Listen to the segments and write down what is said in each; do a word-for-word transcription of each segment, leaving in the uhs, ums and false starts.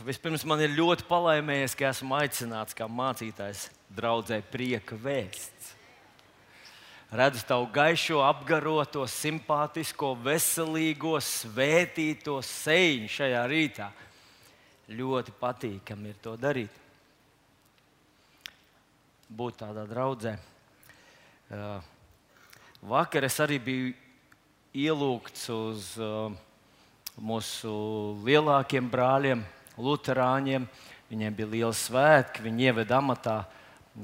Vispirms man ir ļoti palaimējies, ka esmu aicināts kā mācītājs draudzē Prieka vēsts. Redzu tavu gaišo, apgaroto, simpātisko, veselīgo, svētīto seju šajā rītā. Ļoti patīkami ir to darīt. Būt tādā draudzē. Vakar es arī biju ielūgts uz mūsu lielākiem brāļiem, luterāņiem. Viņiem bija liels svētki, viņi ieveda amatā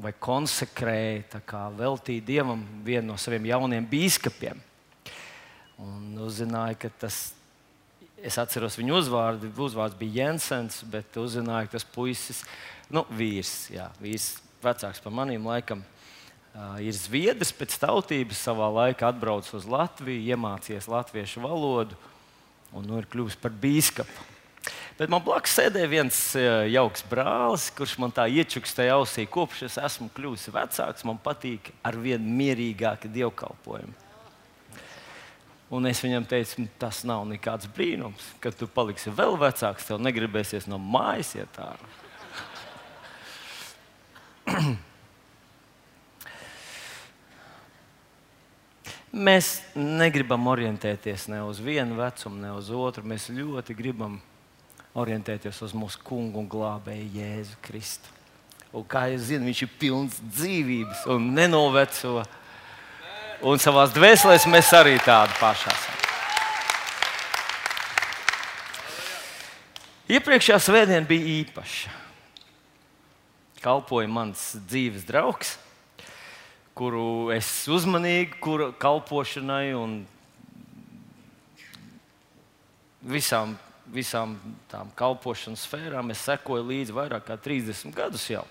vai konsekrēja, tā kā veltīja Dievam vienu no saviem jauniem bīskapiem. Un uzzināja, ka tas, es atceros viņu uzvārdu, uzvārds bija Jensens, bet uzzināja, ka tas puisis, nu, vīrs, jā, vīrs vecāks par maniem laikam, uh, ir zviedrs pēc tautības, savā laikā atbraucis uz Latviju, iemācījies latviešu valodu un nu ir kļuvis par bīskapu. Bet man blakus sēdēja viens jauks brālis, kurš man tā iečukstēja ausī, kopš es esmu kļuvis vecāks, man patīk ar vien mierīgāki dievkalpojumi. Un es viņam teicu, tas nav nekāds brīnums, kad tu paliksi vēl vecāks, tev negribēsies no mājas iet ārā. Mēs negribam orientēties ne uz vienu vecumu, ne uz otru. Mēs ļoti gribam orientēties uz mūsu kungu un glābēju Jēzu Kristu. Un kā jūs zināt, viņš ir pilns dzīvības un nenoveco. Un savās dvēselēs mēs arī tādi paši esam. Iepriekšējā svētdiena bija īpaša. Kalpoja mans dzīves draugs, kuru es uzmanīgi, kura kalpošanai un visām, visām tām kalpošanas sfērām es sekoju līdzi vairāk kā trīsdesmit gadus jau.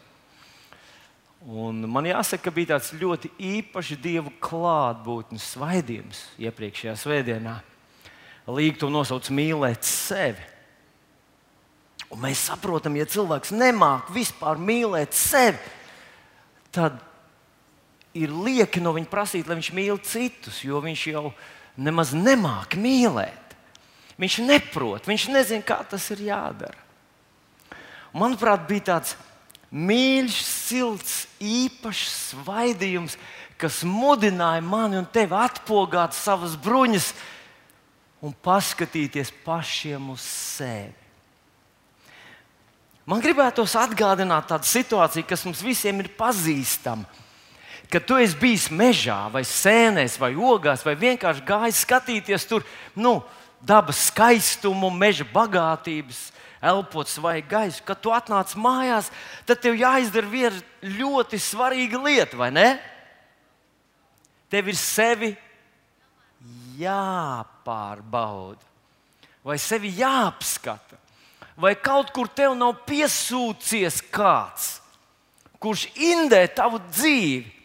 Un man jāsaka, ka bija tāds ļoti īpašs Dievu klātbūtnes svaidījums iepriekšējā svētdienā. Līga to nosauc mīlēt sevi. Un mēs saprotam, ja cilvēks nemāk vispār mīlēt sevi, tad ir lieki no viņa prasīt, lai viņš mīl citus, jo viņš jau nemaz nemāk mīlēt. Viņš neprot, viņš nezina, kā tas ir jādara. Un, manuprāt, bija tāds mīļš, silts, īpašs svaidījums, kas mudināja mani un tevi atpogāt savas bruņas un paskatīties pašiem uz sevi. Man gribētos atgādināt tādu situāciju, kas mums visiem ir pazīstama. Kad tu esi bijis mežā, vai sēnēs, vai ogās, vai vienkārši gājis skatīties tur, nu, dabas skaistumu, meža bagātības, elpot svaigu gaisu, kad tu atnāc mājās, tad tev jāizdara viena ļoti svarīga lieta, vai ne? Tev ir sevi jāpārbauda, vai sevi jāapskata, vai kaut kur tev nav piesūcies kāds, kurš indē tavu dzīvi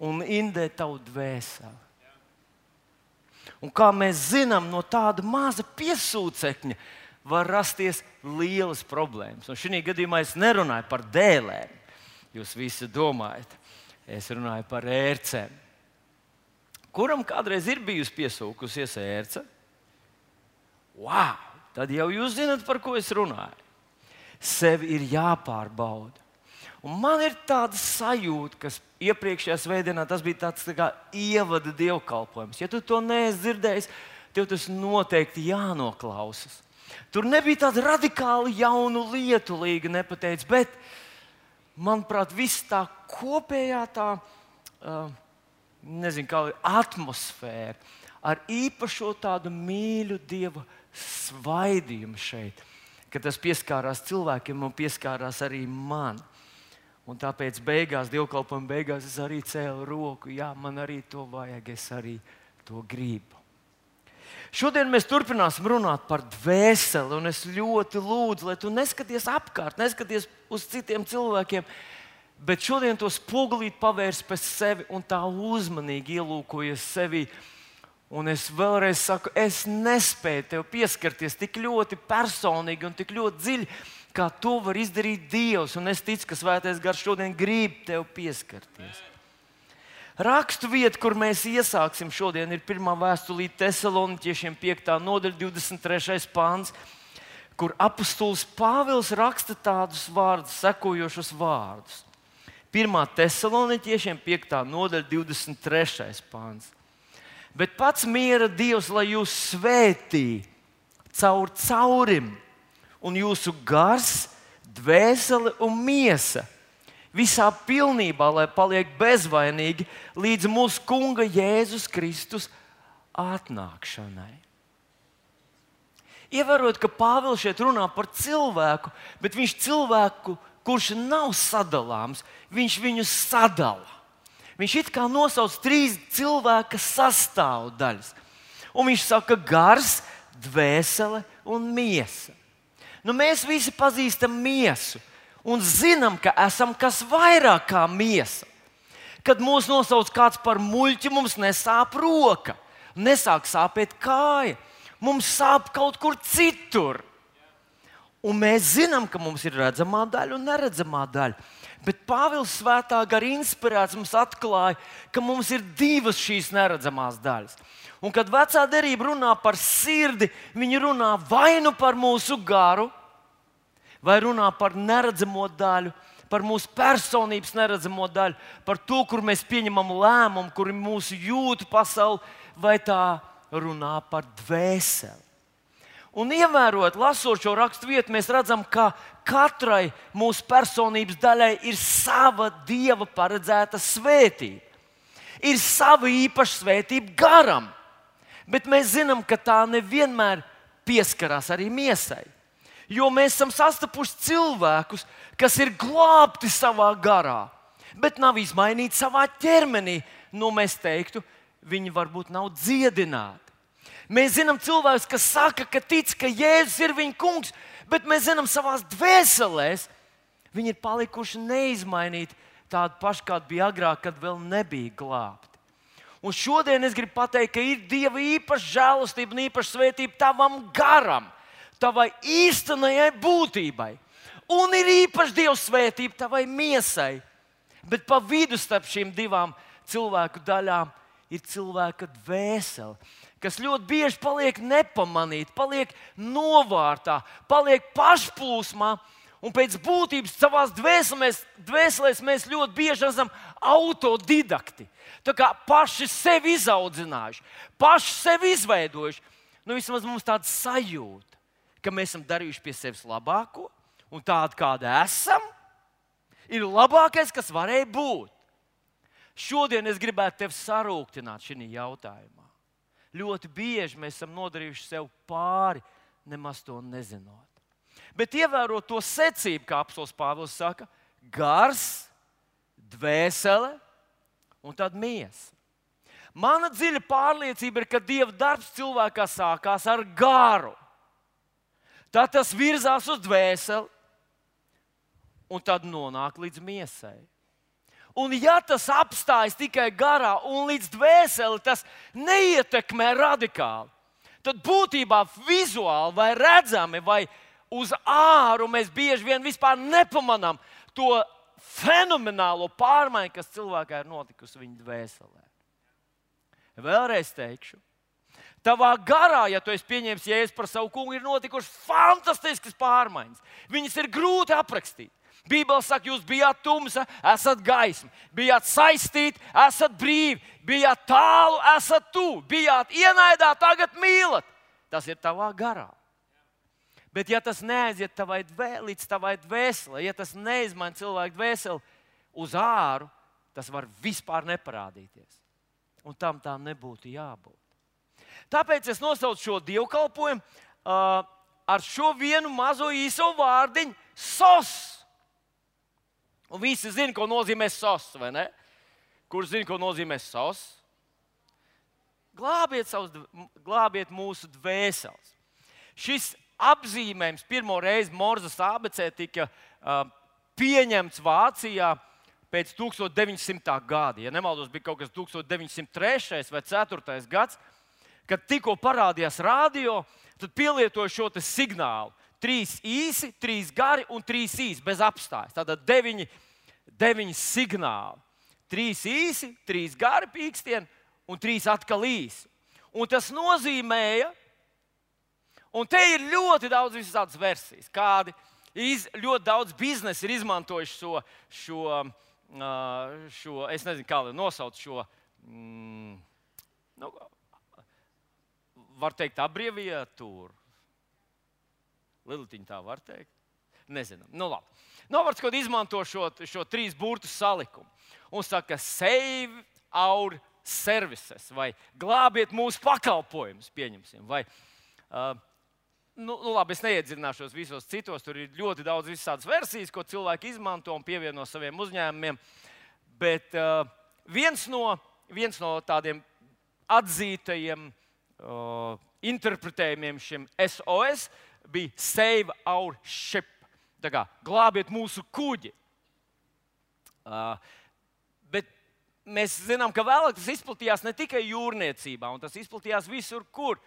un indē tavu dvēseli. Un kā mēs zinām, no tāda maza piesūcekņa var rasties lielas problēmas. Un šī gadījumā es nerunāju par dēlēm. Jūs visi domājat, es runāju par ērcēm. Kuram kādreiz ir bijusi piesūkusies ērce? Wow! Tad jau jūs zināt, par ko es runāju. Sevi ir jāpārbauda. Un man ir tāda sajūta, ka iepriekšējā svētdienā tas bija tāds tā kā ievada dievkalpojums. Ja tu to neesi dzirdējis, tev tas noteikti jānoklausas. Tur nebija tāda radikāli jaunu lietu, Līga nepateica, bet, manuprāt, viss tā kopējā tā, uh, nezinu, kā atmosfēra ar īpašo tādu mīļu Dieva svaidījumu šeit, ka tas pieskārās cilvēkiem un pieskārās arī man. Un tāpēc beigās, dievkalpojuma beigās, es arī cēlu roku. Jā, man arī to vajag, es arī to gribu. Šodien mēs turpināsim runāt par dvēseli, un es ļoti lūdzu, lai tu neskaties apkārt, neskaties uz citiem cilvēkiem, bet šodien to spogulīt pavērsi pēc sevi un tā uzmanīgi ielūkojies sevi. Un es vēlreiz saku, es nespēju tev pieskarties tik ļoti personīgi un tik ļoti dziļi, kā to var izdarīt Dievs. Un es ticu, ka Svētais Gars šodien grib tev pieskarties. Rakstu vieta, kur mēs iesāksim šodien, ir pirmā vēstulīte Tesaloniķiešiem, piektā nodaļa, divdesmit trešais pāns, kur apustulis Pāvils raksta tādus vārdus, sekojošus vārdus. pirmā Tesaloniķiešiem piektā nodaļa, divdesmit trešais pāns. Bet pats miera Dievs, lai jūs svētī caur caurim, un jūsu gars, dvēsele un miesa visā pilnībā, lai paliek bezvainīgi līdz mūsu Kunga Jēzus Kristus atnākšanai. Ievērot, ka Pāvils šeit runā par cilvēku, bet viņš cilvēku, kurš nav sadalāms, viņš viņu sadala. Viņš it kā nosauc trīs cilvēka sastāvdaļas. Un viņš saka gars, dvēsele un miesa. Nu, mēs visi pazīstam miesu un zinām, ka esam kas vairāk kā miesa. Kad mūs nosauc kāds par muļķi, mums nesāp roka, nesāk sāpēt kāja. Mums sāp kaut kur citur. Un mēs zinām, ka mums ir redzamā daļa un neredzamā daļa. Bet Pāvils svētā gara inspirēts mums atklāja, ka mums ir divas šīs neredzamās daļas. Un kad vecā derība runā par sirdi, viņi runā vai nu par mūsu garu, vai runā par neredzamo daļu, par mūsu personības neredzamo daļu, par to, kur mēs pieņemam lēmumu, kur ir mūsu jūtu pasaule, vai tā runā par dvēseli. Un ievērot, lasot šo rakstu vietu, mēs redzam, ka katrai mūsu personības daļai ir sava Dieva paredzēta svētība. Ir sava īpaša svētība garam, bet mēs zinām, ka tā nevienmēr pieskarās arī miesai. Jo mēs esam sastapuši cilvēkus, kas ir glābti savā garā, bet nav izmainīti savā ķermenī. Nu, mēs teiktu, viņi varbūt nav dziedināti. Mēs zinām cilvēkus, kas saka, ka tic, ka Jēzus ir viņa kungs, bet mēs zinām savās dvēselēs, viņi ir palikuši neizmainīti tādi paši, kādi bija agrāk, kad vēl nebija glābti. Un šodien es gribu pateikt, ka ir Dieva īpaša žēlastība un īpaša svētība tavam garam, tavai īstenajai būtībai. Un ir īpaša Dieva svētība tavai miesai. Bet pa vidu starp šīm divām cilvēku daļām ir cilvēka dvēsele, kas ļoti bieži paliek nepamanīta, paliek novārtā, paliek pašplūsmā. Un pēc būtības savās dvēselēs, dvēselēs mēs ļoti bieži esam autodidakti. Tā kā paši sevi izaudzinājuši, paši sevi izveidojuši. Nu, vismaz mums tāda sajūta, ka mēs esam darījuši pie sevis labāko, un tāda, kāda esam, ir labākais, kas varēja būt. Šodien es gribētu tevi sarūktināt šajā jautājumā. Ļoti bieži mēs esam nodarījuši sev pāri, nemaz to nezinot. Bet ievērot to secību, kā apostols Pāvils saka, gars, dvēsele un tad miesa. Mana dziļa pārliecība ir, ka Dieva darbs cilvēkā sākās ar garu. Tad tas virzās uz dvēseli un tad nonāk līdz miesai. Un ja tas apstājas tikai garā un līdz dvēseli, tas neietekmē radikāli. Tad būtībā vizuāli vai redzami vai uz āru mēs bieži vien vispār nepamanām to fenomenālo pārmaiņu, kas cilvēkā ir notikusi viņa dvēselē. Vēlreiz teikšu, tavā garā, ja tu esi pieņēmis Jēzu par savu kungu, ir notikušas fantastiskas pārmaiņas. Viņas ir grūti aprakstīt. Bībele saka, jūs bijāt tumsa, esat gaisma, bijāt saistīti, esat brīvi, bijāt tālu, esat tuvu, bijāt ienaidā, tagad mīlat. Tas ir tavā garā. Bet ja tas neaiziet tavai dvē, līdz tavai dvēselē, ja tas neizmaina cilvēku dvēseli uz āru, tas var vispār neparādīties. Un tam tā nebūtu jābūt. Tāpēc es nosaucu šo dievkalpojumu uh, ar šo vienu mazo īso vārdiņu sos. Un visi zina, ko nozīmē sos, vai ne? Kurš zina, ko nozīmē sos? Glābiet, savus, glābiet mūsu dvēseles. Šis apzīmējums pirmo reizi Morzes abecē tika uh, pieņemts Vācijā pēc tūkstoš deviņi simtā gada. Ja nemaldos, bija kaut kas tūkstoš deviņi simti trešais vai ceturtais gads, kad tikko parādījās radio, tad pielietoja šo te signālu. Trīs īsi, trīs gari un trīs īsi bez apstājas. Tātad deviņi, deviņi signāli. Trīs īsi, trīs gari pīkstieni un trīs atkal īsi. Un tas nozīmēja, Un te ir ļoti daudz visādas versijas, kādi iz, ļoti daudz biznesa ir izmantojuši šo, šo, šo, es nezinu, kā lai nosauc šo, mm, nu, var teikt, abreviatūru. Lilitiņ tā var teikt? Nezinu. Nu, labi. Novarts, kad izmanto šo, šo trīs burtu salikumu un saka, save our services, vai glābiet mūsu pakalpojumus, pieņemsim, vai, uh, nu, nu labi, es neiedziļināšos visos citos, tur ir ļoti daudz visādas versijas, ko cilvēki izmanto un pievieno saviem uzņēmumiem, bet uh, viens, no, viens no tādiem atzītajiem uh, interpretējumiem šim S O S bija save our ship, tā kā glābiet mūsu kuģi. Uh, bet mēs zinām, ka vēlāk tas izplatījās ne tikai jūrniecībā, un tas izplatījās visur, kur.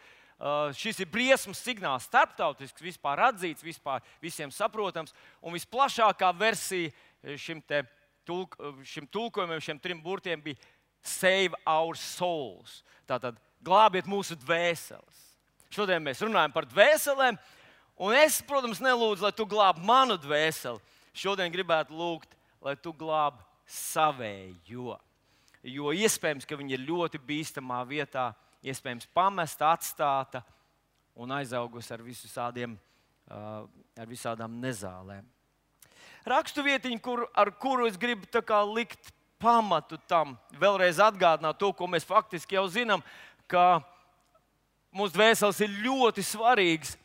Uh, šis ir briesmas signāls, starptautisks, vispār atzīts, vispār visiem saprotams. Un visplašākā versija šim, te, tulk, šim tulkojumam, šiem trim burtiem bija save our souls. Tātad glābiet mūsu dvēseles. Šodien mēs runājam par dvēselēm, un es, protams, nelūdzu, lai tu glābi manu dvēseli. Šodien gribētu lūgt, lai tu glābi savējo. Jo iespējams, ka viņi ir ļoti bīstamā vietā, iespējams pamesta, atstāta un aizaugusi ar, visādiem, uh, ar visādām nezālēm. Raksturvietiņa, kur, ar kuru es gribu tā kā likt pamatu tam, vēlreiz atgādināt to, ko mēs faktiski jau zinām, ka mūsu dvēseles ir ļoti svarīgas.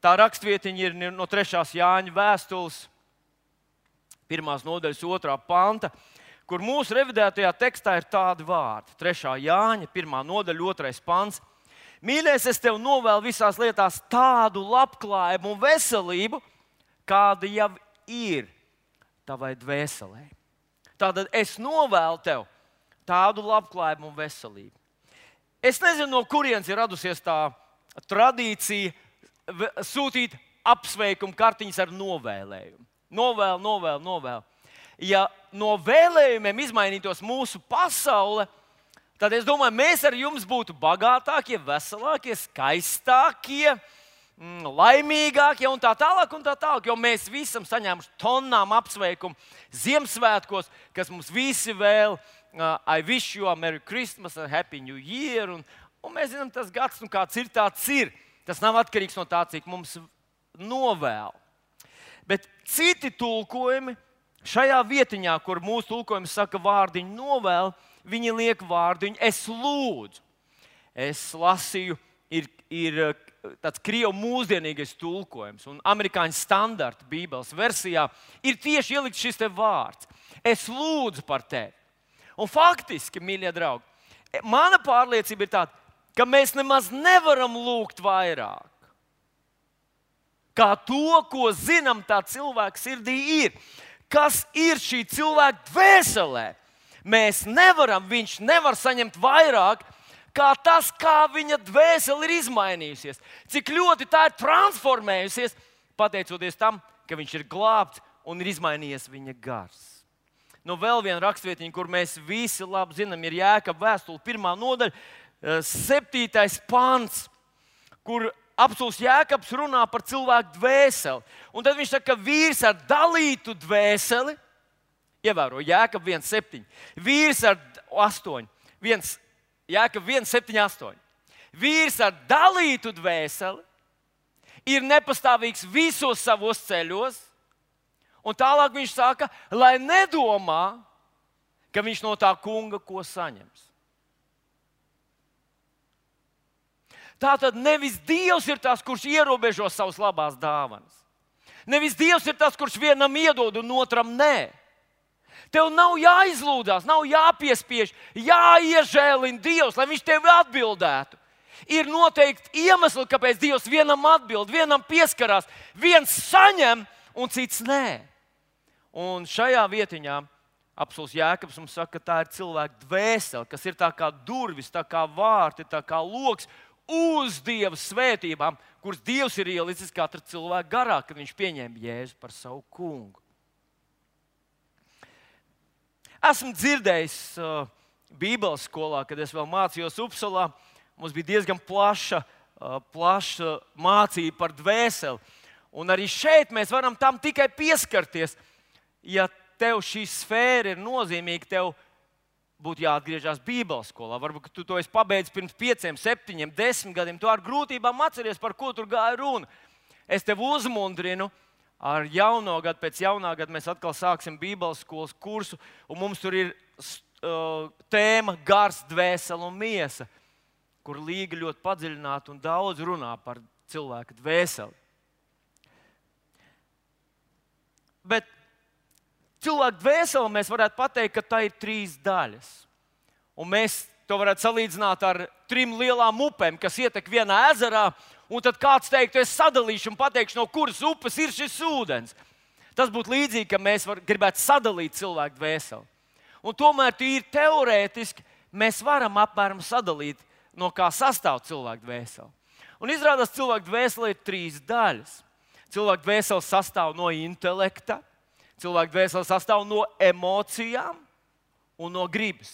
Tā raksturvietiņa ir no trešās Jāņa vēstules, pirmās nodaļas otrā panta, kur mūsu revidētajā tekstā ir tādi vārdi. trešā Jāņa, pirmā nodaļa, otrais pants. Mīļais, es tev novēlu visās lietās tādu labklājību un veselību, kāda jau ir tavai dvēselē. Tātad es novēlu tev tādu labklājību un veselību. Es nezinu, no kurienes ir radusies tā tradīcija sūtīt apsveikumu kartiņas ar novēlējumu. Novēlu, novēlu, novēlu. Ja no vēlējumiem izmainītos mūsu pasaule, tad es domāju, mēs ar jums būtu bagātākie, veselākie, skaistākie, laimīgākie un tā tālāk, un tā tālāk. Jo mēs visi esam saņēmuši tonnām apsveikumu Ziemassvētkos, kas mums visi vēl, uh, I wish you a Merry Christmas, a Happy New Year. Un, un mēs zinām, tas gads, un kāds ir, tāds ir. Tas nav atkarīgs no tā, cik mums novēl. Bet citi tulkojumi šajā vietiņā, kur mūsu tulkojums saka vārdiņu novēl, viņi liek vārdiņu es lūdzu. Es lasīju, ir, ir tāds krievu mūsdienīgais tulkojums, un amerikāņu standarta bībeles versijā ir tieši ielikt šis te vārds. Es lūdzu par tevi. Un faktiski, mīļie draugi, mana pārliecība ir tāda, ka mēs nemaz nevaram lūgt vairāk. Kā to, ko zinām, tā cilvēka sirdī ir. Kas ir šī cilvēka dvēselē? Mēs nevaram, viņš nevar saņemt vairāk, kā tas, kā viņa dvēsele ir izmainījusies. Cik ļoti tā ir transformējusies, pateicoties tam, ka viņš ir glābts un ir izmainījies viņa gars. Nu, vēl viena rakstvietiņa, kur mēs visi labi zinām, ir Jēkaba vēstule, pirmā nodaļa, septītais pants, kur apstults Jēkabs runā par cilvēku dvēseli. Un tad viņš saka, ka vīrs ar dalītu dvēseli, ievēro Jēkab viens septiņi, vīrs ar astoņi, viens, Jēkab viens septiņi astoņi. Vīrs ar dalītu dvēseli ir nepastāvīgs visos savos ceļos, un tālāk viņš saka, lai nedomā, ka viņš no tā kunga ko saņems. Tātad nevis Dievs ir tas, kurš ierobežo savas labās dāvanas. Nevis Dievs ir tas, kurš vienam iedod un otram nē. Tev nav jāizlūdzās, nav jāpiespiež, jāiežēlina Dievs, lai viņš tevi atbildētu. Ir noteikti iemesli, kāpēc Dievs vienam atbild, vienam pieskarās, viens saņem un cits nē. Un šajā vietiņā apstults Jēkabs mums saka, ka tā ir cilvēka dvēsele, kas ir tā kā durvis, tā kā vārti, tā kā loks uz Dieva svētībām, kuras Dievs ir ielicis katra cilvēka garā, kad viņš pieņēma Jēzu par savu kungu. Esmu dzirdējis uh, Bībeles skolā, kad es vēl mācījos Upsalā, mums bija diezgan plaša plaša mācība par dvēseli. Un arī šeit mēs varam tam tikai pieskarties. Ja tev šī sfēra ir nozīmīga, tev būtu jāatgriežas Bībeles skolā. Varbūt tu to esi pabeidzis pirms pieciem, septiņiem, desmit gadiem. Tu ar grūtībām atceries, par ko tur gāja runa. Es tev uzmundrinu, ar jauno gadu, pēc jaunā gada mēs atkal sāksim Bībeles skolas kursu, un mums tur ir uh, tēma gars, dvēsele un miesa, kur Līga ļoti padziļināti un daudz runā par cilvēka dvēseli. Bet cilvēka dvēseli mēs varētu pateikt, ka tā ir trīs daļas. Un mēs to varētu salīdzināt ar trim lielām upēm, kas ietek vienā ezerā, un tad kāds teiktu, es sadalīšu un pateikšu, no kuras upes ir šis ūdens. Tas būtu līdzīgi, ka mēs var, gribētu sadalīt cilvēku dvēseli. Un tomēr tīri teorētiski mēs varam apmēram sadalīt, no kā sastāv cilvēka dvēseli. Un izrādās, cilvēka dvēsele ir trīs daļas. Cilvēka dvēsele sastāv no intelekta, cilvēka dvēsele sastāv no emocijām un no gribas.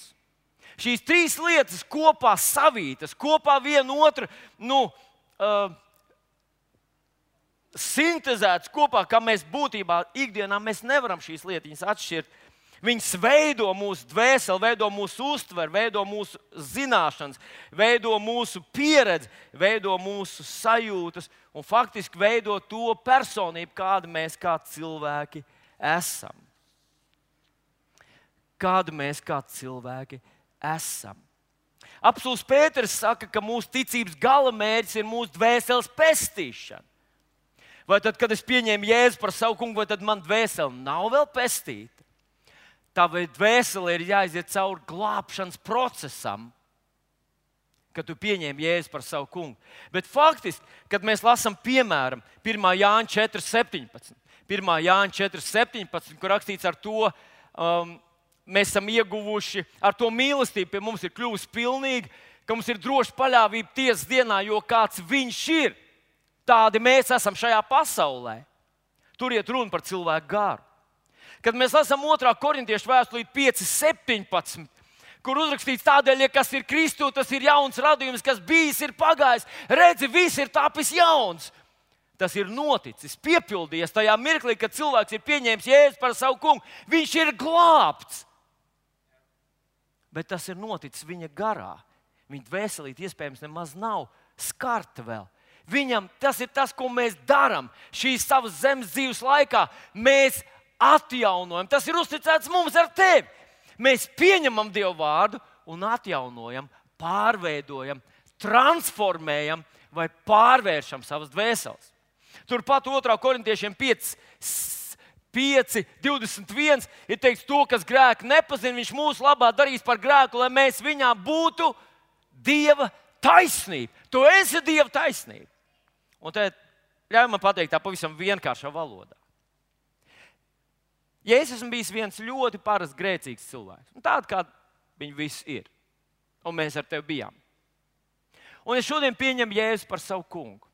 Šīs trīs lietas kopā savītas, kopā viena otru nu, uh, sintezētas kopā, kā mēs būtībā ikdienā mēs nevaram šīs lietiņas atšķirt. Viņas veido mūsu dvēseli, veido mūsu uztveri, veido mūsu zināšanas, veido mūsu pieredzi, veido mūsu sajūtas un faktiski veido to personību, kāda mēs kā cilvēki esam. Kāda mēs kā cilvēki esam. Apostuls Pēters saka, ka mūsu ticības galamērķis ir mūsu dvēseles pestīšana. Vai tad, kad es pieņēmu Jēzu par savu kungu, vai tad man dvēsele nav vēl pestīta? Tavai dvēselē ir jāiziet cauri glābšanas procesam, kad tu pieņēmi Jēzu par savu kungu. Bet faktiski, kad mēs lasām, piemēram, pirmā Jāņa četri septiņpadsmit, pirmā Jāņa četri septiņpadsmit, kur rakstīts ar to, um, mēs esam ieguvuši, ar to mīlestību pie mums ir kļuvusi pilnīga, ka mums ir droša paļāvība tiesas dienā, jo kāds viņš ir, tādi mēs esam šajā pasaulē. Tur iet runa par cilvēku garu. Kad mēs lasām otrā korintiešu vēstulīti pieci septiņpadsmit, kur uzrakstīts tādēļ, ja kas ir Kristu, tas ir jauns radījums, kas bijis, ir pagājis. Redzi, viss ir tapis jauns. Tas ir noticis, piepildījies tajā mirklī, kad cilvēks ir pieņēmis Jēzu par savu kungu. Viņš ir glābts. Bet tas ir noticis viņa garā. Viņa dvēselīte iespējams nemaz nav skarta vēl. Viņam tas ir tas, ko mēs darām šīs savas zemes dzīves laikā. Mēs atjaunojam. Tas ir uzticēts mums ar tevi. Mēs pieņemam Dievu vārdu un atjaunojam, pārveidojam, transformējam vai pārvēršam savas dvēseles. Turpat otrā korintiešiem pieci, divdesmit viens ir teikts, to, kas grēku nepazina, viņš mūsu labā darīs par grēku, lai mēs viņā būtu Dieva taisnība. Tu esi Dieva taisnība. Un tad ļauj man pateikt tā pavisam vienkāršā valodā. Ja es esmu bijis viens ļoti parasts grēcīgs cilvēks, un tāda, kāda viņi visi ir, un mēs ar tevi bijām. Un es šodien pieņemu Jēzu par savu kungu.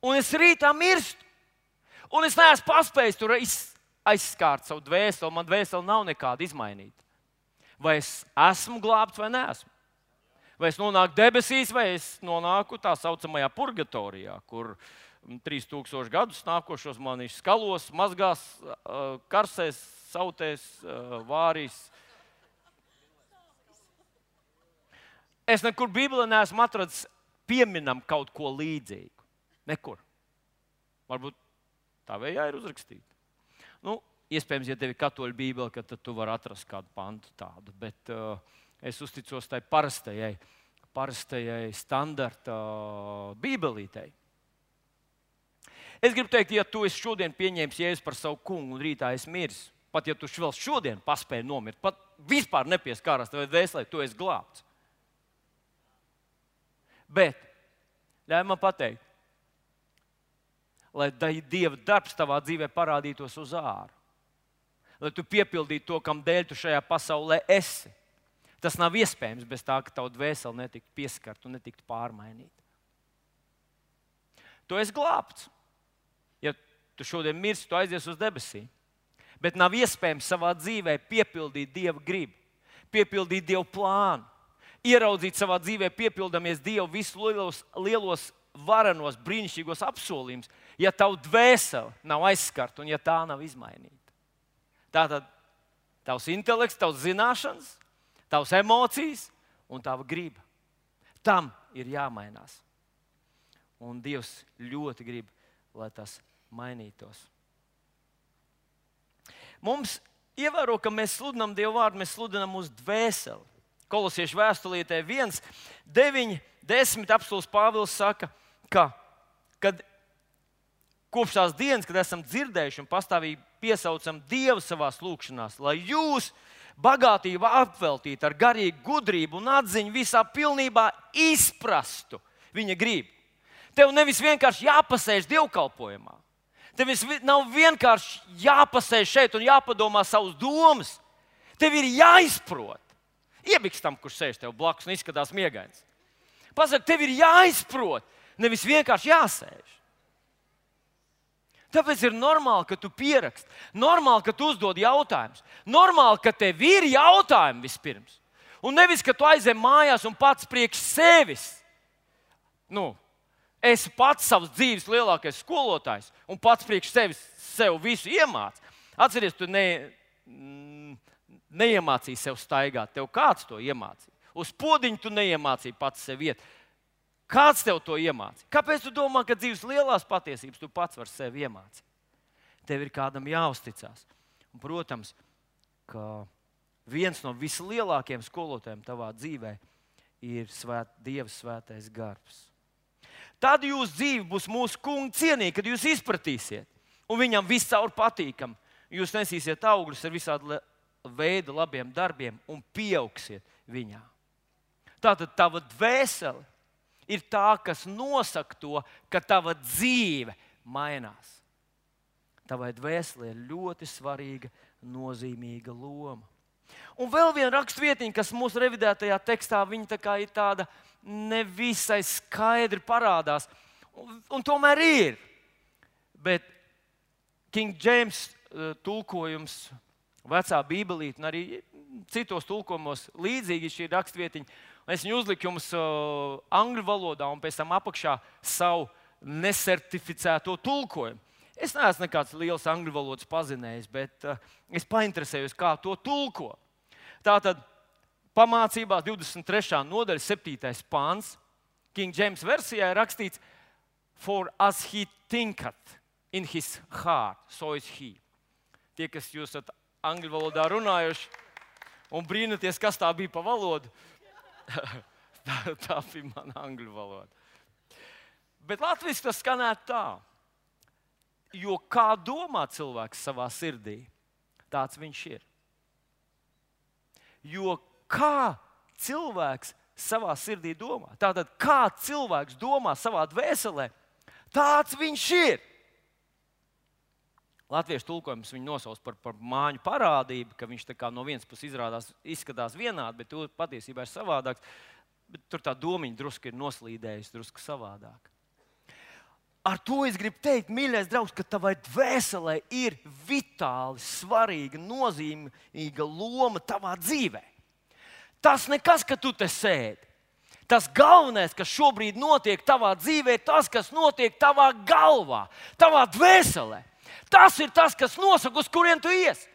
Un es rītā mirstu. Un es neesmu paspējis tur aizskārt savu dvēseli, un man dvēseli nav nekāda izmainīta. Vai es esmu glābts vai neesmu? Vai es nonāku debesīs, vai es nonāku tā saucamajā purgatorijā, kur trīs tūkstoši gadus nākošos mani skalos, mazgās, karsēs, sautēs, vārīs. Es nekur Bībelē neesmu atradis pieminam kaut ko līdzīgu. Nekur. Varbūt tā vējā ir uzrakstīta. Nu, iespējams, ja tev ir katoļu Bībele, tad tu vari atrast kādu pantu tādu, bet uh, es uzticos tai parastajai, parastajai standarta Bībelītei. Es gribu teikt, ja tu esi šodien pieņēmis Jēzu par savu kungu un rītā esi miris, pat ja tu vēl šodien paspēji nomirt, pat vispār nepieskārās tavai dvēselē, tu esi glābts. Bet, ļauj man pateikt, lai Dieva darbs tavā dzīvē parādītos uz āru, lai tu piepildītu to, kam dēļ tu šajā pasaulē esi. Tas nav iespējams bez tā, ka tavu dvēseli netiktu pieskarta un netiktu pārmainīta. Tu esi glābts. Ja tu šodien mirsti, tu aizies uz debesīm. Bet nav iespējams savā dzīvē piepildīt Dieva gribu, piepildīt Dieva plānu, ieraudzīt savā dzīvē, piepildamies Dievu visus lielos, lielos varenos, brīnišķīgos apsolījumus, ja tavu dvēseli nav aizskarta un ja tā nav izmainīta. Tātad tavs intelekts, tavs zināšanas, tavs emocijas un tava griba. Tam ir jāmainās. Un Dievs ļoti grib, lai tas mainītos. Mums ievēro, ka mēs sludinām Dievu vārdu, mēs sludinām uz dvēseli. Kolosiešu vēstulītē viens, deviņi, desmit apstults Pāvils saka, ka kad kopš tās dienas, kad esam dzirdējuši un pastāvīgi piesaucam Dievu savās lūgšanās, lai jūs bagātību apveltītu ar garīgu gudrību un atziņu visā pilnībā izprastu viņa gribu. Tev nevis vienkārši jāpasēž dievkalpojumā. Tev nav vienkārši jāpasēž šeit un jāpadomā savus domas. Tev ir jāizprot. Iebiks tam, kurš sēž tev blakus un izskatās miegains. Pasaka, tev ir jāizprot, nevis vienkārši jāsēž. Tāpēc ir normāli, ka tu pieraksti. Normāli, ka tu uzdod jautājumus. Normāli, ka tev ir jautājumi vispirms. Un nevis, ka tu aizej mājās un pats priekš sevis. Nu, esi pats savas dzīves lielākais skolotājs un pats priekš sevis sev visu iemāc. Atceries, tu ne, neiemācīji sev staigāt. Tev kāds to iemācīja? Uz podiņu tu neiemācīji pats sev iet. Kāds tev to iemācīja? Kāpēc tu domā, ka dzīves lielās patiesības tu pats vari sev iemācīt? Tev ir kādam jāuzticās. Un, protams, ka viens no vislielākajiem skolotājiem tavā dzīvē ir svēt, Dieva svētais gars. Tad jūsu dzīve būs mūsu kunga cienīga, kad jūs izpratīsiet. Un viņam viscaur patīkam. Jūs nesīsiet augļus ar visādu veidu labiem darbiem un pieaugsiet viņā. Tātad tava dvēsele ir tā, kas nosaka to, ka tava dzīve mainās. Tavai dvēselē ir ļoti svarīga, nozīmīga loma. Un vēl viena rakstvietiņa, kas mūsu revidētajā tekstā, viņa tā kā ir tāda nevisai skaidri parādās. Un, un tomēr ir. Bet King James tulkojums, vecā bībelīte un arī citos tulkojumos līdzīgi šī rakstvietiņa. Es viņu uzliku jums uh, angļu valodā un pēc tam apakšā savu nesertificēto tulkojumu. Es neesmu nekāds liels angļu valodas pazinējs, bet uh, es painteresējos, kā to tulko. Tātad pamācībās divdesmit trešā nodaļa, septītais pāns, King James versijā ir rakstīts For as he thinketh in his heart, so is he. Tie, kas jūs esat angļu valodā runājuši un brīnaties, kas tā bija pa valodu, tā, tā bija mana angļu valoda. Bet latviski tas skanētu tā. Jo kā domā cilvēks savā sirdī, tāds viņš ir. Jo kā cilvēks savā sirdī domā, tātad kā cilvēks domā savā dvēselē, tāds viņš ir. Latviešu tulkojums viņu nosauc par, par māņu parādību, ka viņš tā kā no vienas puses izrādās, izskatās vienādi, bet tur patiesībā ir savādāks. Bet tur tā domiņa drusku ir noslīdējusi, drusku savādāk. Ar to es gribu teikt, mīļais draugs, ka tavai dvēselē ir vitāli svarīga, nozīmīga loma tavā dzīvē. Tas nekas, ka tu te sēdi. Tas galvenais, kas šobrīd notiek tavā dzīvē, ir tas, kas notiek tavā galvā, tavā dvēselē. Tas ir tas, kas nosaka, uz kurien tu ies.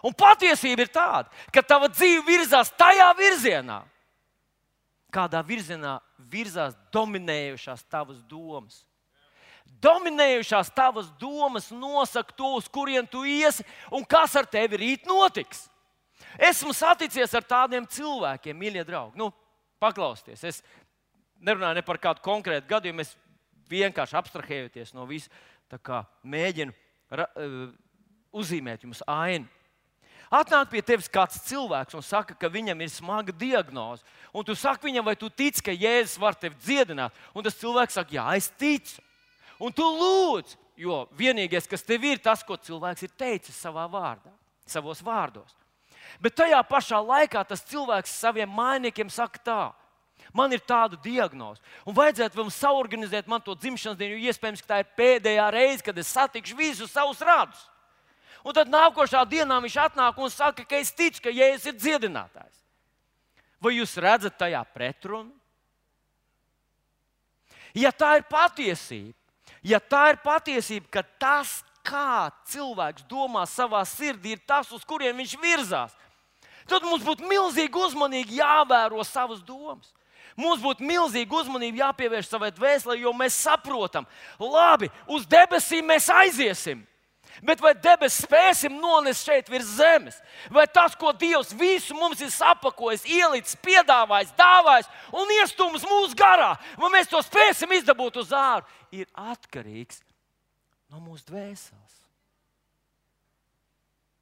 Un patiesība ir tāda, ka tava dzīve virzās tajā virzienā, kādā virzienā virzās dominējušās tavas domas. Dominējušās tavas domas nosaka to, uz kurien tu iesi un kas ar tevi rīt notiks. Esmu saticies ar tādiem cilvēkiem, mīļie draugi. Nu, paklausieties, es nerunāju ne par kādu konkrētu gadījumu, es vienkārši abstrahējoties no visu, tā kā mēģinu ra, uh, uzzīmēt jums ainu. Atnāk pie tevis kāds cilvēks un saka, ka viņam ir smaga diagnoze. Un tu saki viņam, vai tu tici, ka Jēzus var tevi dziedināt? Un tas cilvēks saka, jā, es ticu. Un tu lūdz, jo vienīgais, kas tev ir, tas, ko cilvēks ir teicis savā vārdā, savos vārdos. Bet tajā pašā laikā tas cilvēks saviem mainiekiem saka tā. Man ir tāda diagnoze. Un vajadzētu vēl saorganizēt man to dzimšanas dienu, jo iespējams, ka tā ir pēdējā reize, kad es satikšu visus savus radus. Un tad nākošā dienā viņš atnāk un saka, ka es ticu, ka Jēzus ir dziedinātājs. Vai jūs redzat tajā pretrunu? Ja tā ir patiesība, ja tā ir patiesība, ka tas, kā cilvēks domā savā sirdī, ir tas, uz kuriem viņš virzās, tad mums būtu milzīgi uzmanīgi jāvēro savas domas. Mums būtu milzīgi uzmanība jāpievērš savai dvēselē, jo mēs saprotam, labi, uz debesīm mēs aiziesim. Bet vai debesis spēsim nonest šeit virs zemes? Vai tas, ko Dievs visu mums ir sapakojis, ielicis, piedāvājis, dāvājis un iestūmis mūsu garā, vai mēs to spēsim izdabūt uz āru, ir atkarīgs no mūsu dvēseles.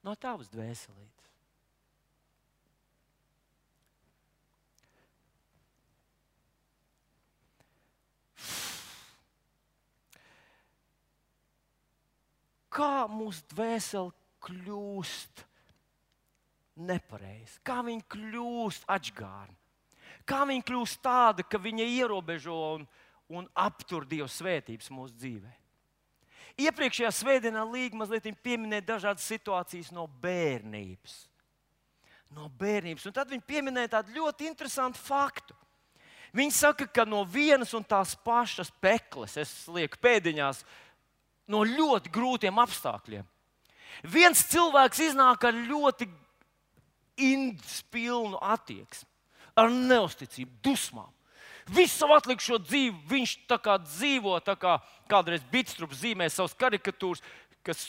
No tavas dvēselītes. Kā mūsu dvēsele kļūst nepareiza? Kā viņa kļūst atžgārna? Kā viņa kļūst tāda, ka viņa ierobežo un, un aptur Dieva svētības mūsu dzīvē? Iepriekšējā svētdienā Līga mazliet pieminēja dažādas situācijas no bērnības. No bērnības. Un tad viņa pieminēja tādu ļoti interesantu faktu. Viņa saka, ka no vienas un tās pašas pekles, es lieku pēdiņās, no ļoti grūtiem apstākļiem. Viens cilvēks iznāk ar ļoti indspilnu attieksmi, ar neusticību, dusmām. Visu savu atlikušo dzīvi viņš tā kā dzīvo, tā kā kādreiz Bitstrups zīmē savas karikatūras, kas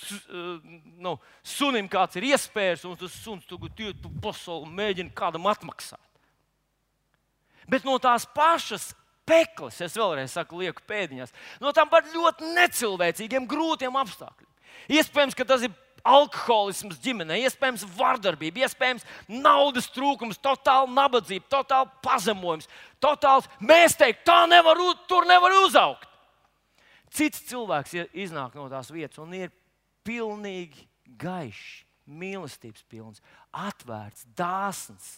nu, sunim kāds ir iespējas, un tas suns tagad iet pa pasauli un mēģina kādam atmaksāt. Bet no tās pašas pekles, es vēlreiz saku, lieku pēdiņās, no tām par ļoti necilvēcīgiem, grūtiem apstākļiem. Iespējams, ka tas ir alkoholisms ģimenē, iespējams, vardarbība, iespējams, naudas trūkums, totāla nabadzība, totāla pazemojums, totāls, mēs teikt, tā nevar, tur nevar uzaugt. Cits cilvēks iznāk no tās vietas un ir pilnīgi gaišs, mīlestības pilns, atvērts, dāsns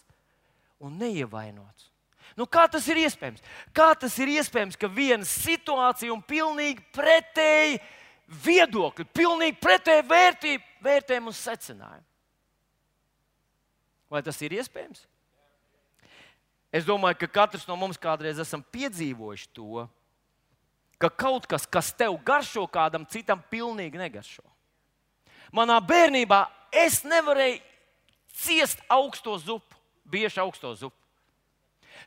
un neievainots. Nu, kā tas ir iespējams? Kā tas ir iespējams, ka viena situācija un pilnīgi pretēji viedokļi, pilnīgi pretēji vērtība, vērtējumi un secinājumi? Vai tas ir iespējams? Es domāju, ka katrs no mums kādreiz esam piedzīvojuši to, ka kaut kas, kas tev garšo, kādam citam pilnīgi negaršo. Manā bērnībā es nevarēju ciest augsto zupu, bieži augsto zupu.